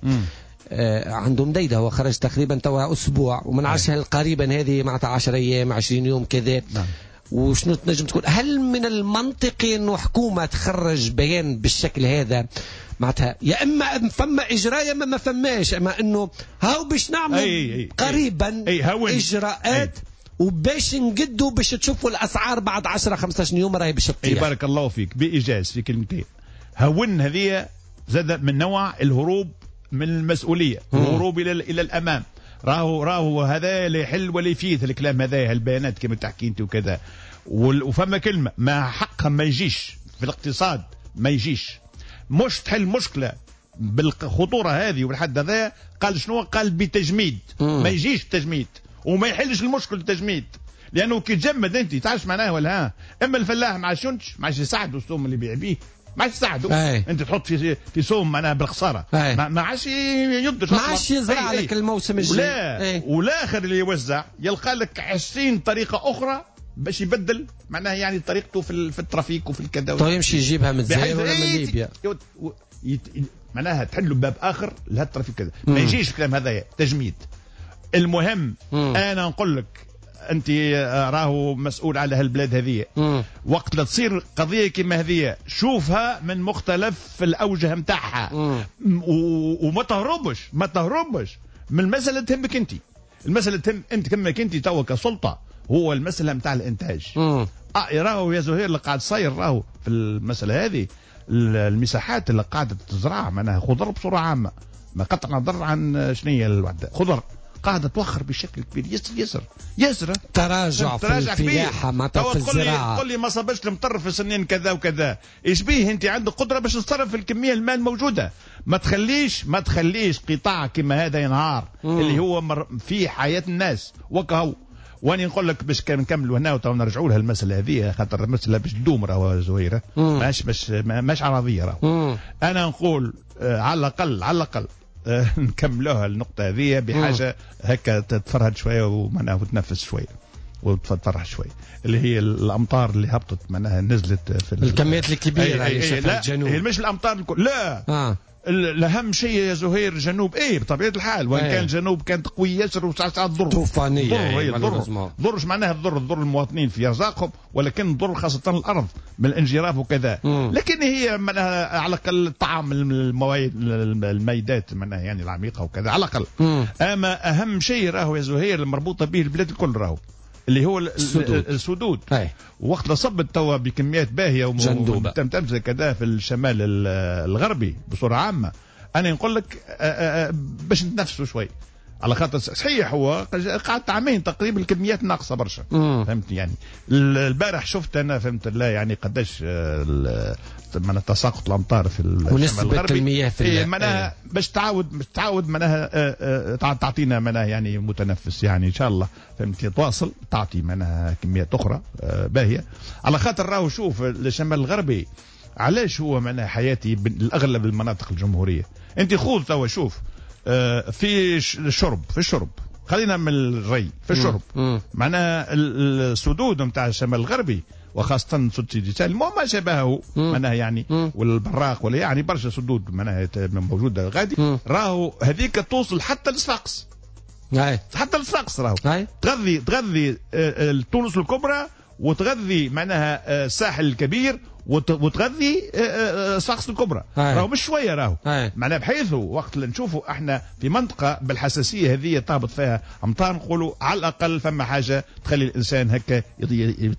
عندهم ديدة، هو خرج تقريبا توا أسبوع ومن عشر قريبا هذه معناتها 10 أيام 20 يوم كذا. نعم. وشنو تنجم تقول؟ هل من المنطقي أنه حكومة تخرج بيان بالشكل هذا؟ معناتها يا إما فما إجراء يا إما ما فماش، أما أنه هاو باش نعمل قريبا إجراءات وباش نقدوا باش تشوفوا الأسعار بعد 10-15 يوم راهي باش تطيح. بارك الله فيك بإيجاز في كلمتين. هون هذه زاد من نوع الهروب من المسؤولية، الهروب الى الامام. راهو هذا لا يحل ولا يفيد الكلام هذا، البيانات كما تحكي انت وكذا. وفما كلمة ما حقها ما يجيش في الاقتصاد، ما يجيش مش تحل مشكلة بالخطوره هذه وبالحد هذا. قال شنو؟ قال بتجميد. ما يجيش التجميد وما يحلش المشكل التجميد، لانه كي تجمد انت تعرفش معناها ولا ها. اما الفلاح ما عادش ينتج، ما عادش يساعده السوم اللي يبيع بيه، ما عادش يساعده. انت تحط في سوم معناها بالخساره، ما عادش ينتج، ما عادش يزرع لك الموسم الجاي. والاخر اللي يوزع يلقى لك 20 طريقه اخرى باش يبدل معناها يعني طريقته في ال trafic وفي الكذا. طيب يمشي يجيبها من الجزائر ولا من ليبيا، معناها تحلوا باب اخر لهذا ال trafic كذا. ما يجيش الكلام هذايا تجميد. المهم انا نقول لك انت راهو مسؤول على هالبلاد هذه. وقت لا تصير قضية كما هذه شوفها من مختلف الاوجه نتاعها، وما تهربش، ما تهربش من المسالة تهمك انت. المسالة تهم انت تهمك انت توا كسلطه، هو المسالة نتاع الانتاج. راهو يا زهير اللي قاعد صاير راهو في المسالة هذه، المساحات اللي قاعدة تزرع معناها خضر بصورة عامة، ما قطع نظر عن شنية الوحدة، خضر قاعدة توخر بشكل كبير ياسر ياسر ياسر. تراجع في الفلاحة معناتها في الزراعة. تقول لي ما صبش المطر في سنين كذا وكذا، ايش بيه انت عندك قدره باش تصرف الكمية الماء الموجودة. ما تخليش قطاع كما هذا ينهار اللي هو في حياة الناس وكهو. واني نقول لك باش نكملوا هنا وتو نرجعوا لها المسالة هذه، خاطر المسالة باش تدوم راهو زهيره، ماش عرضية راهو. انا نقول على الاقل نكملوها النقطة هذه بحاجة هكا تتفرهد شوية ومعناها وتنفس شوية وتفرح شوية، اللي هي الأمطار اللي هبطت معناها نزلت في الكميات الكبيرة اللي شافها الجنوب. هي مش الأمطار الكل، لا الأهم شيء يا زهير الجنوب، إيه بطبيعة الحال، وإن كان الجنوب كانت قوية ياسر وساعات ضر طوفانية، ضر معناها الضر المواطنين في أرزاقهم، ولكن ضر خاصة الأرض من الانجراف وكذا. لكن هي معناها على الأقل الطعام الميدات معناها يعني العميقة وكذا على الأقل. أما أهم شيء راهو يا زهير المربوطة به البلاد الكل راهو اللي هو السدود. وقت صبت توا بكميات باهيه وتمتمزه كذا في الشمال الغربي بصورة عامة، انا نقول لك باش نتنفسوا شوي، على خاطر صحيح هو قعدت عامين تقريبا الكميات ناقصه برشا. فهمت يعني البارح شفت انا فهمت لا يعني قداش من تساقط الامطار في الشمال الغربي المياه في معناها باش تعاود معناها تعطينا معناها يعني متنفس يعني ان شاء الله فهمت تواصل تعطي معناها كميات اخرى باهيه. على خاطر راهو شوف الشمال الغربي علاش هو معناها حياتي الاغلب المناطق الجمهورية. انت خذ توا شوف في الشرب خلينا من الري، في الشرب معناها السدود نتاع الشمال الغربي وخاصة سد سيدي سالم وما شابهه معناها يعني والبراق ولا يعني برشا سدود معناها موجودة غادي، راهو هذيك توصل حتى للصفاقس. حتى للصفاقس راهو تغذي تونس الكبرى وتغذي معناها الساحل الكبير وتغذي صفاقس الكبرى. راهو مش شوية راهو معناها، بحيث وقت اللي نشوفوا احنا في منطقة بالحساسيه هذه تهبط فيها امطار نقولوا على الاقل فما حاجة تخلي الانسان هكا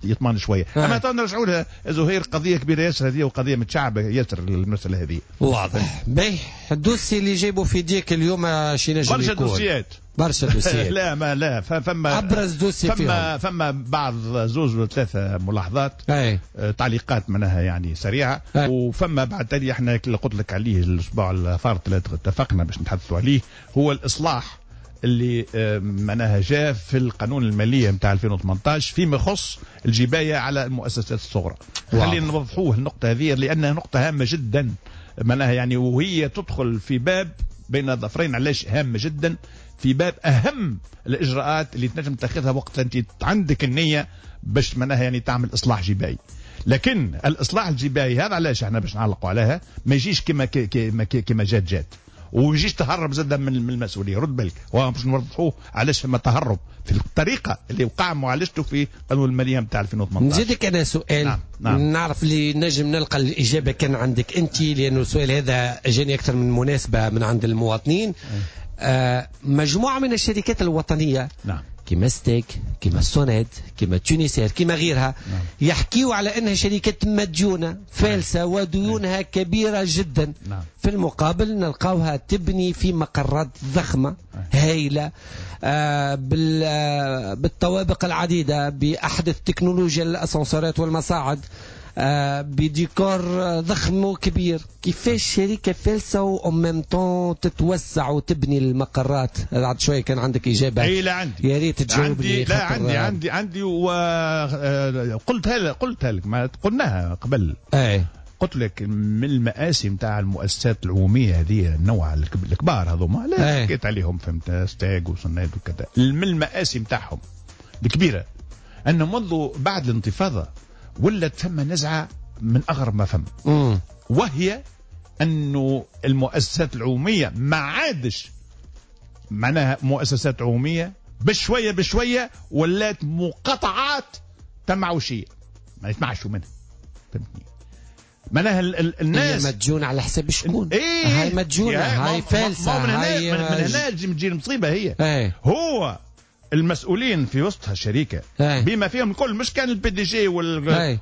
يطمن شوية. اما تو نرجعوا لها زهير، قضية كبيرة ياسر هذه وقضية متشعبة ياسر المسالة هذه. واضح. باهي ال dossier اللي جايبه في ديك اليوم شي نجم برشا دوسيات برشا دوسيات. لا ما لا فما ابرز dossier فيهم فما بعض زوز ولا ثلاثة ملاحظات تعليقات معناها يعني سريعة. وفما بعد تالي احنا اللي قلت لك عليه الاسبوع الفارط اللي اتفقنا باش نتحدثوا عليه، هو الاصلاح اللي معناها جاء في القانون المالية نتاع 2018 فيما يخص الجبايه على المؤسسات الصغرى. خلينا نوضحوه النقطة هذه لانها نقطة هامة جدا معناها يعني، وهي تدخل في باب بين ظفرين. علاش هامة جدا؟ في باب اهم الاجراءات اللي تنجم تاخذها وقت انت عندك النية باش معناها يعني تعمل اصلاح جبائي. لكن الاصلاح الجبائي هذا علاش احنا باش نعلقوا عليها ما يجيش كما كما كما جات ويجيش تهرب زاد من المسؤولية. رد بالك باش نوضحوه علاش فما تهرب في الطريقة اللي وقع معالجته في قانون المالية نتاع 2018. نزيدك انا سؤال. نعم. نعرف اللي نجم نلقى الاجابة كان عندك انت، لانه السؤال هذا جاني اكثر من مناسبة من عند المواطنين. مجموعة من الشركات الوطنية نعم. كما ستيك، كما سوناد، كما تونيسير، كما غيرها نعم. يحكيوا على انها شركات مديونه فالسه وديونها كبيرة جدا نعم. في المقابل نلقاوها تبني في مقرات ضخمة هائلة بالطوابق العديدة، باحدث تكنولوجيا الاسانسورات والمصاعد، بديكور ضخم وكبير. كيفاش شركة فالسة و même temps تتوسع وتبني المقرات؟ بعد شوية كان عندك إجابة. اي لا عندي، يا ريت تجاوبني. لا عندي عندي وقلتها قلتها لك، ما قلناها قبل. اي قلت لك من المآسي نتاع المؤسسات العمومية هذه النوع الكبار هذوما، لا حكيت عليهم فهمت، ستاج وصناد وكذا. من المآسي نتاعهم الكبيرة أنه منذ بعد الانتفاضة ولت ثم نزعة من أغرب ما فهم، وهي أنه المؤسسات العمومية ما عادش معناها مؤسسات عمومية، بشوية بشوية ولات مقاطعات تمعوشية ما يتمعشوا منها، فهمتني؟ معناها الناس مديونة على حساب شكون؟ إيه هاي مديونة، هاي فالسة، من هنا من هنا تجي المصيبة هي. ايه هو المسؤولين في وسطها الشركة بما فيهم الكل، مش كان ال PDG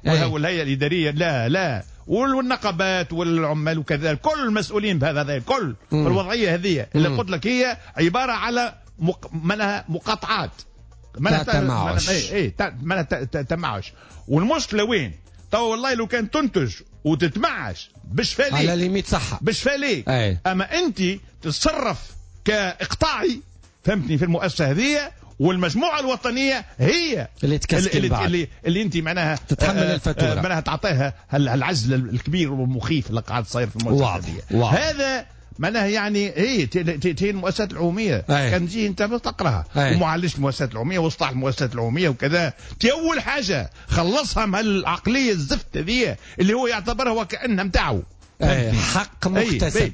والهيئة الإدارية، لا لا، والنقابات والعمال وكذا، كل المسؤولين بهذا الكل في الوضعية هذه اللي قلت لك هي عبارة على معناها مقاطعات، معناها تمعش. اي معناها تمعش. والمشكلة وين؟ تو والله لو كان تنتج وتتمعش باش فاليك على limite صحة باش فاليك. اما انت تتصرف كاقطاعي، فهمتني، في المؤسسة هذه، والمجموعة الوطنية هي اللي تكسكن اللي, اللي انت معناها تتحمل الفاتورة، معناها تعطيها العزل الكبير والمخيف اللي قاعد صاير في المؤسسة هذه. هذا معناها يعني ايه تي المؤسسات العمومية. كان تجي انت تقراها ومعالجة المؤسسات العمومية واصلاح المؤسسات العمومية وكذا، تي اول حاجة خلصها من العقلية الزفت هذه اللي هو يعتبرها وكانها نتاعو. حق مكتسب،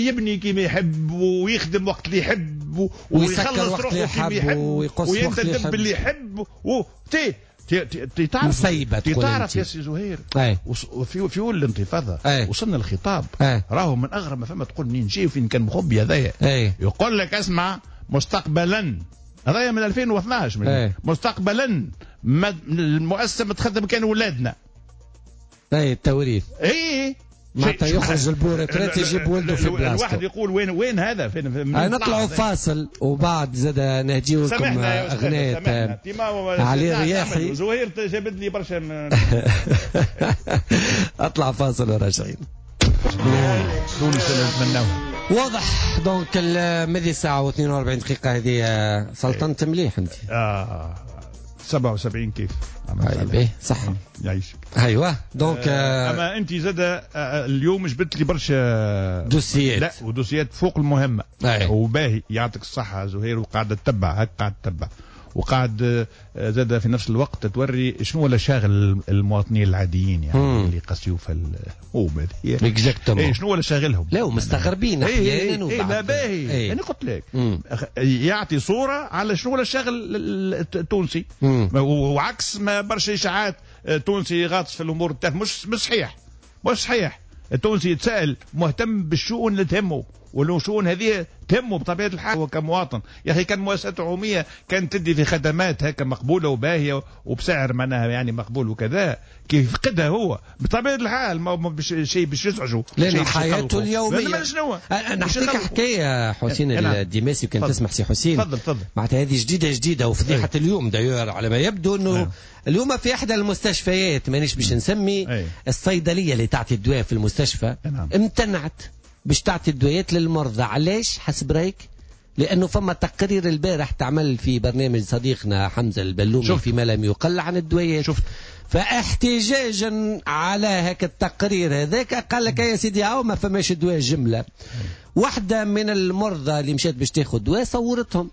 يبني كيما يحب ويخدم وقت اللي يحب ويخلص روحه كيما يحب وينتدب باللي يحب. تي تعرف، تعرف يا سي زهير، في اول الانتفاضة وصلنا الخطاب راهو من اغرب ما فما، تقول منين جاي وفين كان مخبي هذايا. يقول لك اسمع، مستقبلا هذايا من 2012 مستقبلا المؤسسة ما تخدم كان ولادنا. اي التوريث. اي معناتها يخرج ال beau retraité يجيب ولده في بلاصته. الواحد يقول وين هذا فين؟ نطلعوا فاصل وبعد زاد نهديو لكم اغنية علي الرياحي. زهير جابت لي برشا. اطلع فاصل وراجعين. تونس اللي نتمناوها. واضح donc ماذي ساعة و42 دقيقة هذه. سلطنت مليح انت. 77 كيف. اي صح يعيشك. ايوه donc اما انت زاد اليوم جبت لي برشا دوسيات. لا ودوسيات فوق المهمة. وباهي يعطيك الصحة زهير، وقاعدة تتبع هك، قاعدة تتبع وقاعد زاد في نفس الوقت توري شنو ولا شاغل المواطنين العاديين يعني اللي قاسيو في الهوم هذه. exactement. شنو ولا شاغلهم؟ لا ومستغربين احيانا. لا باهي. انا قلت لك يعطي صوره على شنو ولا شاغل التونسي، وعكس ما برشا اشاعات تونسي غاطس في الامور التافهة. مش صحيح، مش صحيح. التونسي يتساءل مهتم بالشؤون اللي تهمه، والشؤون هذه تهمه بطبيعة الحال هو كمواطن. يا اخي كان مؤسسات عموميه كانت تدي في خدمات هكا مقبولة وباهيه وبسعر معناها يعني مقبول وكذا، كيف يفقدها هو بطبيعة الحال ما شيء باش يزعجه لأن حياته اليومية. نحكيك حكاية حسين الديماسي كان تسمح سي حسين. تفضل تفضل. معناتها هذه جديدة جديدة وفضيحه اليوم d'ailleurs على ما يبدو انه اليوم في احدى المستشفيات، مانيش باش نسمي، الصيدلية اللي تعطي الدواء في المستشفى امتنعت باش تعطي الدويات للمرضى. علاش حسب رايك؟ لانه فما تقرير البارح تعمل في برنامج صديقنا حمزة البلومي في ما لم يقل عن الدويات. شفت. فاحتجاجا على هاك التقرير هذاك قال لك يا سيدي هاو ما فماش دواء جملة. واحدة من المرضى اللي مشات باش تاخذ دواء صورتهم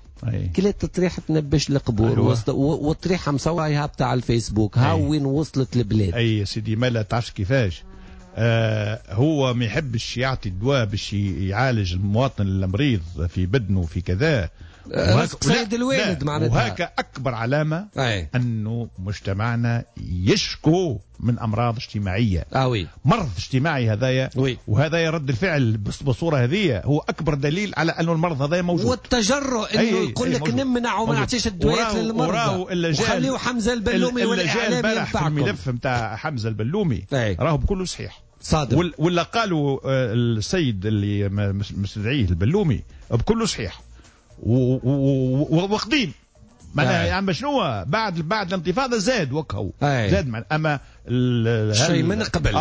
كلات طريحه نبش القبور. والطريحه مصورها هابطة على الفيسبوك. هاو وين وصلت البلاد. اي يا سيدي ما لا تعرفش كيفاش. هو ما يحبش يعطي الدواء باش يعالج المواطن المريض في بدنه في كذا. سيد الوالد معناتها. وهكا أكبر علامة أنه مجتمعنا يشكو من أمراض اجتماعية. oui. مرض اجتماعي هذايا. وهذا يرد الفعل بالصورة هذه هو أكبر دليل على أنه المرض هذايا موجود. والتجرؤ أنه يقول لك نمنع وما نعطيش الدوايات للمرضى. وخليوا حمزة البلومي والإعلام ينفعكم. في الملف نتاع حمزة البلومي راهو بكله صحيح. صادق. ولا قالوا السيد اللي مستدعيه البلومي بكله صحيح وقديم معناها يعني شنو بعد الانتفاضة زاد وكهو زاد معنا. اما الشيء من قبل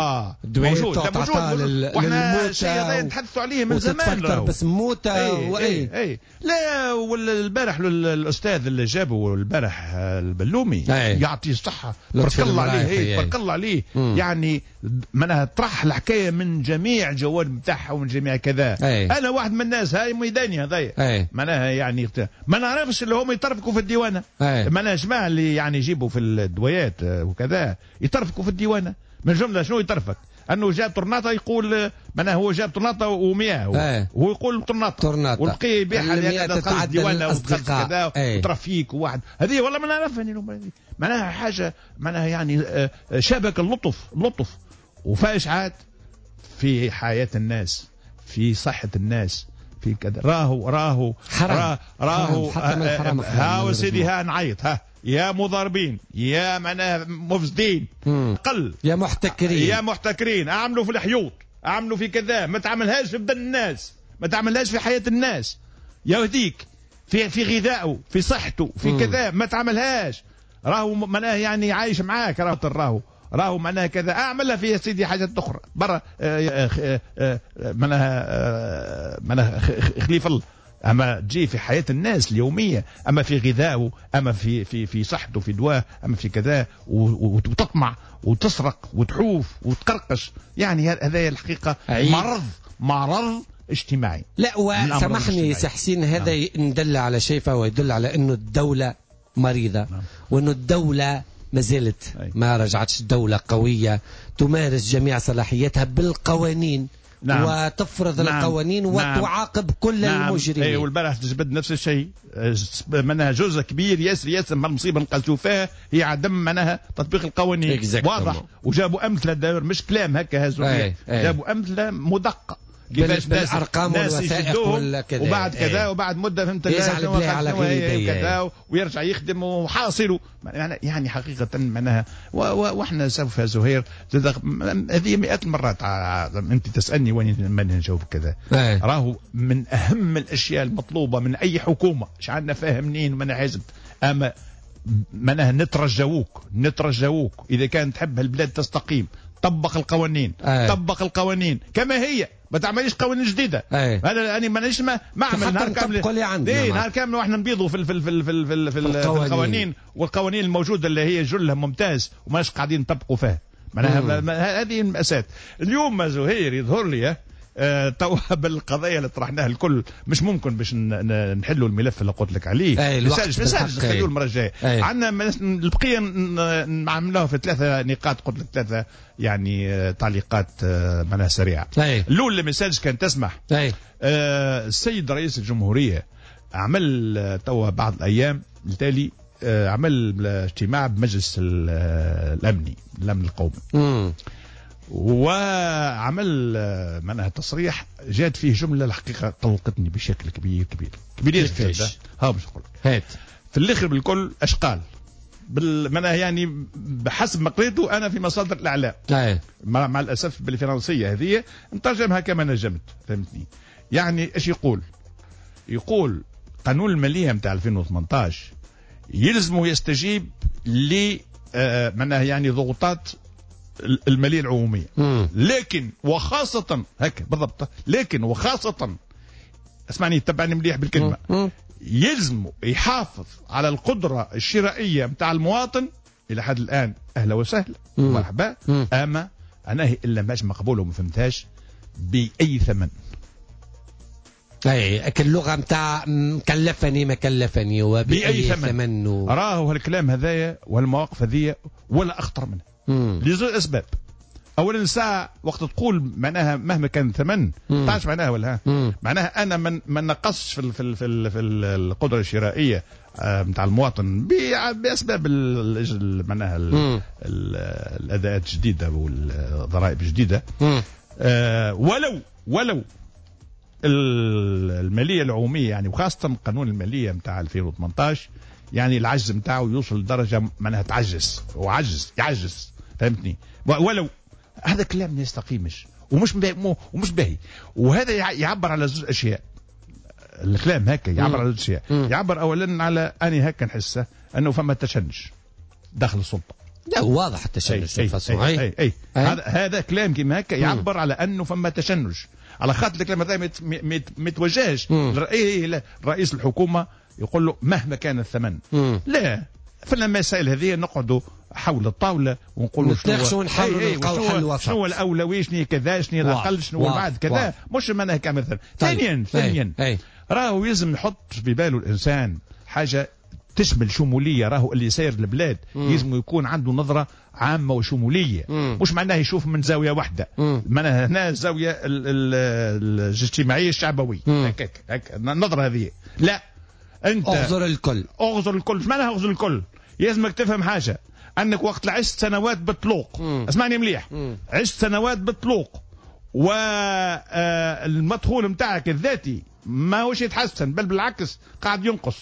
موجود موجود واحنا الشيء هذا نتحدثوا عليه من زمان بس موتى اي لا. والبارح الاستاذ اللي جابه البارح البلومي يعطيه الصحة، بارك الله عليه، بارك الله عليه. يعني معناها طرح الحكاية من جميع الجوانب نتاعها ومن جميع كذا. انا واحد من الناس هاي ميداني هذايا معناها يعني ما نعرفش اللي هم يطرفقوا في الديوانه. معناها جماعة اللي يعني يجيبوا في الدويات وكذا يطرفقوا في الديوانه. من جملة شنو يطرفك؟ انه جاب طرناطه يقول معناها هو جاب طرناطه ومياه وهو يقول طرناطه والبقية يبيعها لان دخل الديوانه ودخل كذا وترفيك وواحد. هذه والله ما نعرفها معناها حاجة معناها يعني شبكة اللطف لطف وفاش عاد في حياة الناس، في صحة الناس، في كذا. راهو حرام راهو حتى من الحرام. ها سيدي ها نعيط ها يا مضاربين يا معناها مفسدين قل يا محتكرين يا محتكرين، اعملوا في الحيوط، اعملوا في كذا، ما تعملهاش في بدن الناس، ما تعملهاش في حياة الناس. يهديك في غذائه، في صحته، في كذا، ما تعملهاش. راهو معناها يعني عايش معاك، راهو معناها كذا، اعملها في يا سيدي حاجات اخرى برا، معناها خليف الله. اما تجي في حياة الناس اليومية، اما في غذائه، اما في في في صحته، في دواه، اما في كذا، وتطمع وتسرق وتحوف وتقرقش، يعني هذا الحقيقة مرض اجتماعي. لا وسامحني سي حسين، هذا ندل على شيء، فهو يدل على انه الدولة مريضه. وانه الدولة ما زالت ما رجعتش دولة قوية تمارس جميع صلاحياتها بالقوانين. نعم. وتفرض القوانين وتعاقب كل المجرمين. اي والبارح تجبد نفس الشيء، معناها جزء كبير ياسر ياسر من المصيبة نقلتوا فيها هي عدم معناها تطبيق القوانين. واضح. وجابوا امثلة داير، مش كلام هكا هزوا، جابوا امثلة مدقه كيفاش بالارقام والوثائق ولا كذا، وبعد كذا وبعد مده فهمت كذا ويرجع يخدم وحاصله يعني حقيقة معناها. واحنا سوف يا زهير هذه مئات المرات انت تسالني وين ما نجاوب كذا. راهو من اهم الاشياء المطلوبة من اي حكومة، مش عندنا فاهم منين ومن حزب، اما معناها نترجوك اذا كان تحب البلاد تستقيم، طبق القوانين. طبق القوانين كما هي، ما تعمليش قوانين جديدة. هذا انا مانيش ما اعمل نهار كامل، نهار كامل واحنا نبيضوا في في في في في, في القوانين، والقوانين الموجودة اللي هي جلها ممتاز وماش قاعدين نطبقوا فيها. معناها هذه المأساة اليوم زهير. يظهر لي توا بالقضايا اللي طرحناها الكل مش ممكن باش نحلوا الملف اللي قلت لك عليه. مش نخلوه المرة الجاية. عندنا البقية نعملوها في 3 نقاط، قلت لك 3 يعني تعليقات معناها سريعة. الاول المساج كان تسمح. السيد رئيس الجمهورية عمل توا بعض الايام التالي، عمل اجتماع بمجلس الامني، الامن القومي. وعمل معناها تصريح جات فيه جملة الحقيقة قلقتني بشكل كبير كبير كبير. ها باش نقول لك هات في الاخر بالكل اش قال معناها يعني بحسب ما قريته انا في مصادر الاعلام. مع الاسف بالفرنسيه هذه نترجمها كما نجمت، فهمتني؟ يعني اش يقول؟ يقول قانون المالية نتاع 2018 يلزمه يستجيب ل معناها يعني ضغوطات المالية العمومية. لكن وخاصة هكا بالضبط، لكن وخاصة اسمعني تبعني مليح بالكلمة، يلزم يحافظ على القدرة الشرائية متاع المواطن إلى حد الآن. أهلا وسهلا مرحبا، أما أنا إلا ماش مقبول وما فهمتهاش بأي ثمن. اي اللغة نتاع كلفني ما كلفني وبأي ثمن راهو هالكلام هذايا والمواقف هذيا ولا أخطر منها. لزوج أسباب. أولا الساعة وقت تقول معناها مهما كان الثمن، تعرف معناها ولا؟ معناها أنا ما نقصش في في في في القدرة الشرائية نتاع المواطن بأسباب معناها الأداءات الجديدة والضرائب الجديدة. ولو المالية العمومية يعني، وخاصة قانون المالية نتاع 2018 يعني العجز نتاعو يوصل لدرجة معناها تعجز وعجز يعجز، فهمتني؟ ولو هذا كلام ما يستقيمش ومش باهي. وهذا يعبر على زوج اشياء. الكلام هكا يعبر على زوج اشياء. يعبر اولا على اني هكا نحسه انه فما تشنج داخل السلطة. لا واضح التشنج. أي أي. هذا كلام كيما هكا يعبر على انه فما تشنج، على خاطر الكلام هذا ما يتوجهش رئيس الحكومة يقول له مهما كان الثمن. لا، في المسائل هذه نقعدوا حول الطاولة ونقولوا شنو شنو الاولوية، شنو كذا، شنو الاقل، شنو بعد كذا، مش معناها كمثل. ثانيا راهو يلزم يحط في باله الانسان حاجة تشمل شمولية. راهو اللي ساير البلاد يلزم يكون عنده نظره عامة وشموليه، مش معناها يشوف من زاوية واحدة. معناها هنا الزاوية الاجتماعية الشعبوية هكاك النظرة هذه. لا، انت اغزر الكل. اغزر الكل، ايش معناها اغزر الكل؟ يلزمك تفهم حاجة، انك وقت عشت سنوات بالطلوق، اسمعني مليح، عشت سنوات بالطلوق والمدخول نتاعك الذاتي ما هوش يتحسن، بل بالعكس قاعد ينقص.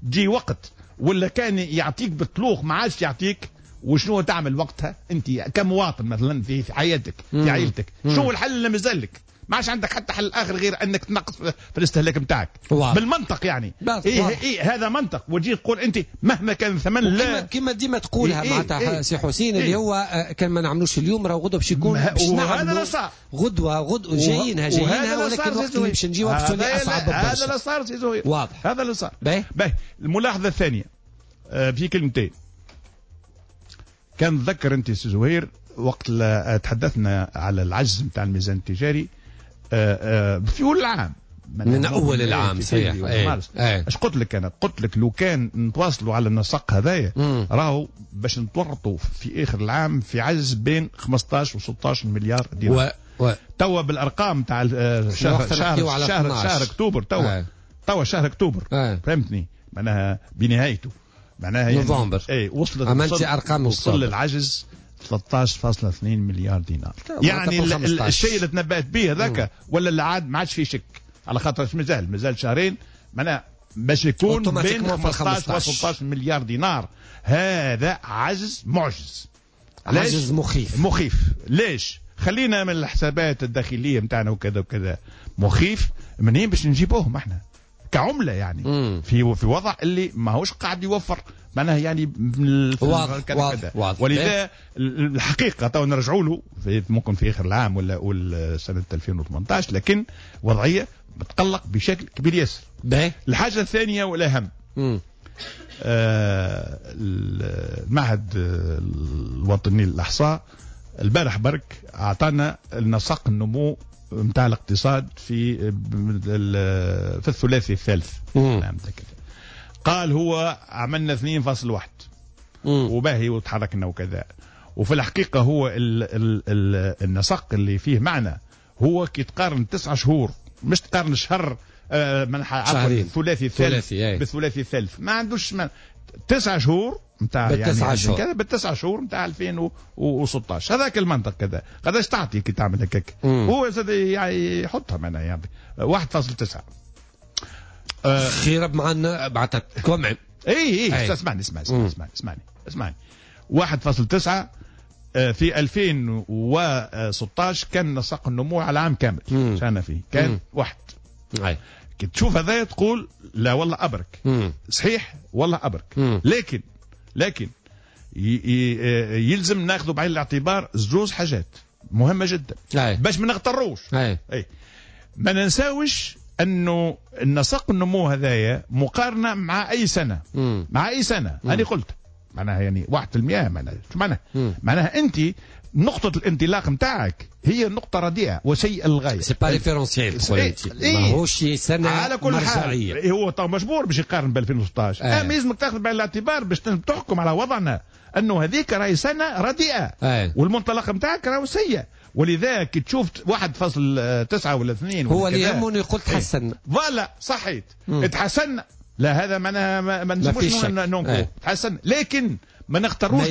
تجي وقت ولا كان يعطيك بالطلوق ما عادش يعطيك، وشنو تعمل وقتها انت كمواطن مثلا في حياتك، في عائلتك؟ شنو الحل اللي مازالك؟ ما عادش عندك حتى حل اخر غير انك تنقص في الاستهلاك نتاعك بالمنطق يعني. إيه إيه هذا منطق، وتجي تقول انت مهما كان الثمن لا، كما ديما تقولها معناتها سي حسين، اللي هو كان ما نعملوش اليوم راه غدوه باش يكون، باش نعملوا غدوه جايينها ولكن الوقت اللي باش نجيوها باش تولي اصعب برشا. هذا اللي صار سي زهير، واضح هذا اللي صار. باهي الملاحظة الثانية في كلمتين. كان تذكر انت سي زهير وقت تحدثنا على العجز نتاع الميزان التجاري في اول العام، من اول العام صحيح. اش قلت لك انا؟ قلت لك لو كان نتواصلوا على النسق هذايا راهو باش نتورطوا في اخر العام في عجز بين 15 و 16 مليار دينار. توا بالارقام تاع شهر شهر شهر, شهر اكتوبر، توا شهر اكتوبر فهمتني معناها بنهايته معناها نوفمبر اي وصلت ارقام وصل العجز 13.2 مليار دينار. يعني الشيء اللي تنبأت به هذاك ولا اللي عاد ما عادش فيه شك، على خاطر مازال شهرين معناها باش يكون بين 15 و 16 مليار دينار. هذا عجز معجز، عجز مخيف. مخيف ليش؟ خلينا من الحسابات الداخلية نتاعنا وكذا وكذا، مخيف منين باش نجيبوهم احنا كعمله يعني في وضع اللي ماهوش قاعد يوفر معناها يعني واضح. ولذا الحقيقة تو نرجعوا له ممكن في اخر العام ولا سنة 2018، لكن وضعية بتقلق بشكل كبير ياسر. الحاجة الثانية والاهم، المعهد الوطني للاحصاء البارح برك اعطانا النسق النمو نتاع الاقتصاد في الثلاثي الثالث. نعم قال هو عملنا 2.1 وباهي وتحركنا وكذا، وفي الحقيقة هو ال ال ال النسق اللي فيه معنى هو كي تقارن 9 شهور، مش تقارن شهر الثلاثي الثالث بالثلاثي الثالث، ما عندوش 9 شهور نتاع يعني شهور. بالتسع شهور نتاع 2016 هذاك المنطق كذا. قداش تعطي كي تعمل هكاك؟ هو يعني يحطها معناها يعني 1.9 خير معنا معناتها كومع. اي اسمعني اسمعني اسمعني اسمعني اسمعني 1.9 في 2016 كان نسق النمو على العام كامل شانا فيه كان واحد. كي تشوف هذا تقول لا والله ابرك. صحيح والله ابرك. لكن يلزم ناخذ بعين الاعتبار زوز حاجات مهمة جدا باش ما نغتروش. اي ما ننساوش انه النسق النمو هذايا مقارنة مع اي سنة. مع اي سنة انا قلت معناها يعني 1% معناها شو معناها؟ معناها انت نقطة الانطلاق نتاعك هي نقطة رديئة وسيئة للغاية. c'est pas référentiel، ماهوش سنة على كل حال. هو طبعا مجبور باش يقارن ب 2016، اما لازمك تاخذ بعين الاعتبار باش تحكم على وضعنا انه هذيك راهي سنة رديئة والمنطلق نتاعك راهو سيء. ولذا كي تشوف 1.9 ولا 2 هو اللي يهمني يقول تحسن. voilà صحيت تحسن، لا هذا معناها ما نجموش ننكروا تحسن، لكن ما نختاروش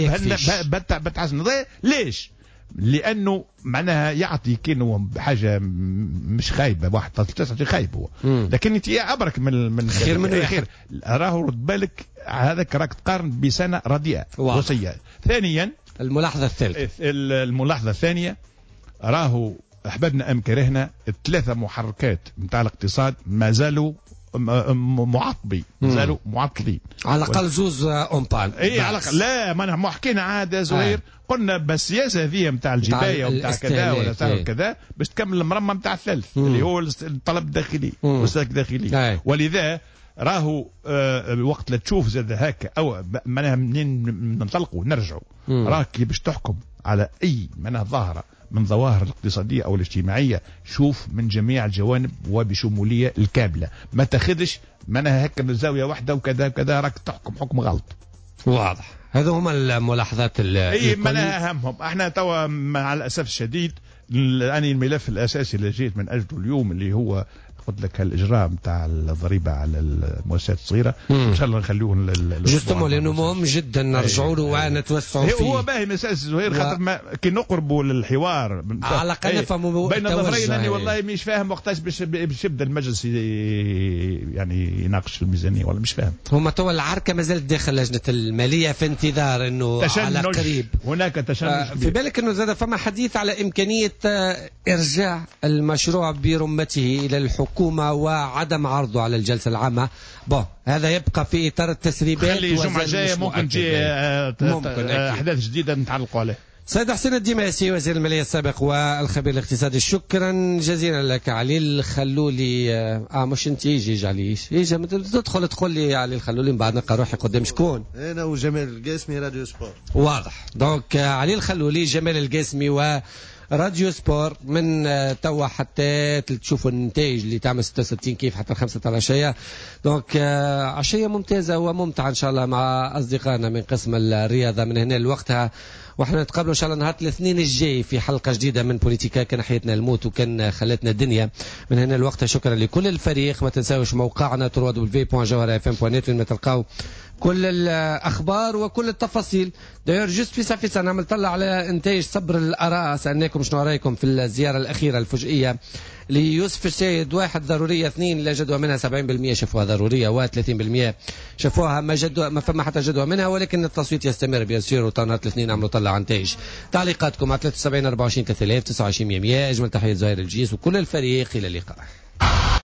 بتحسن. ليش؟ لانه معناها يعطي كأنه حاجة مش خايبة 1.9 خايب هو، لكن انت ابرك من خير من خير. راهو رد بالك هذاك راك تقارن بسنة رديئة وسيئة. ثانيا الملاحظة الثالثة، الملاحظة الثانية راهو احببنا ام كرهنا الثلاثة محركات نتاع الاقتصاد ما زالوا معطبي، زالوا معطلين على الاقل زوز en panne. اي على الاقل لا ما حكينا عاد زهير قلنا بالسياسة هذه نتاع الجبايه ونتاع كذا ولا كذا باش تكمل المرمى نتاع الثالث اللي هو الطلب الداخلي والسلك الداخلي. ولذا راهو وقت لا تشوف زاد هكا او معناها منين ننطلقوا نرجعوا راك باش تحكم على اي معناها ظاهره من ظواهر الاقتصادية أو الاجتماعية شوف من جميع الجوانب وبشمولية الكاملة، ما تاخذش معناها هكا من زاوية واحدة وكذا وكذا راك تحكم حكم غلط. واضح. هذو هما الملاحظات اي معناها أهمهم. احنا توا مع الأسف الشديد يعني الملف الأساسي اللي جيت من أجله اليوم اللي هو قلت لك الاجراء نتاع الضريبة على المؤسسات الصغيرة ان شاء الله نخلوه justement لانه مهم جدا نرجعوا له ونتوسعوا فيه. هو باهي مسألة زهير خاطر ما كي نقربوا للحوار على الاقل نفهموا بين ظفرين. اني والله مش فاهم وقتاش باش يبدا المجلس يعني يناقش الميزانية، والله مش فاهم. هما توا العركه مازالت داخل لجنة المالية في انتظار انه على قريب هناك تشنج. في بالك انه زاد فما حديث على امكانية ارجاع المشروع برمته الى الحكومة وعدم عرضه على الجلسة العامة. bon هذا يبقى في اطار التسريبات. خلي الجمعة الجاية ممكن تجي احداث جديدة نتعلقوا عليه. سيد حسين الديماسي وزير المالية السابق والخبير الاقتصادي، شكرا جزيلا لك. علي الخلولي مش انت يجي علي يجي تدخل تقول لي علي الخلولي من بعد نلقى روحي قدام شكون؟ انا وجمال القاسمي راديو سبور. واضح. donc علي الخلولي، جمال القاسمي و راديو سبور من توا حتى تشوفوا النتائج اللي تعمل 66 كيف حتى 5 تاع العشية. donc عشية ممتازة وممتعة ان شاء الله مع اصدقائنا من قسم الرياضة من هنا لوقتها، واحنا نتقابلوا ان شاء الله نهار الاثنين الجاي في حلقة جديدة من بوليتيكا. كان حياتنا الموت وكان خلتنا الدنيا. من هنا لوقتها شكرا لكل الفريق. ما تنساوش موقعنا www.jawharafm.net وين ما تلقاو كل الاخبار وكل التفاصيل. d'ailleurs juste في ساعة نعمل طلع على انتاج صبر الاراء، سالناكم شنو رايكم في الزيارة الاخيرة الفجئيه ليوسف الشاهد. 1 ضرورية، 2 لا جدوى منها، 70% شافوها ضرورية و30% شافوها ما جدوى، ما فما حتى جدوى منها، ولكن التصويت يستمر bien sûr. وطنات الاثنين عملوا طلع نتائج. تعليقاتكم على 73 24 3000 29 100. اجمل تحية زهير الجيس وكل الفريق، الى اللقاء.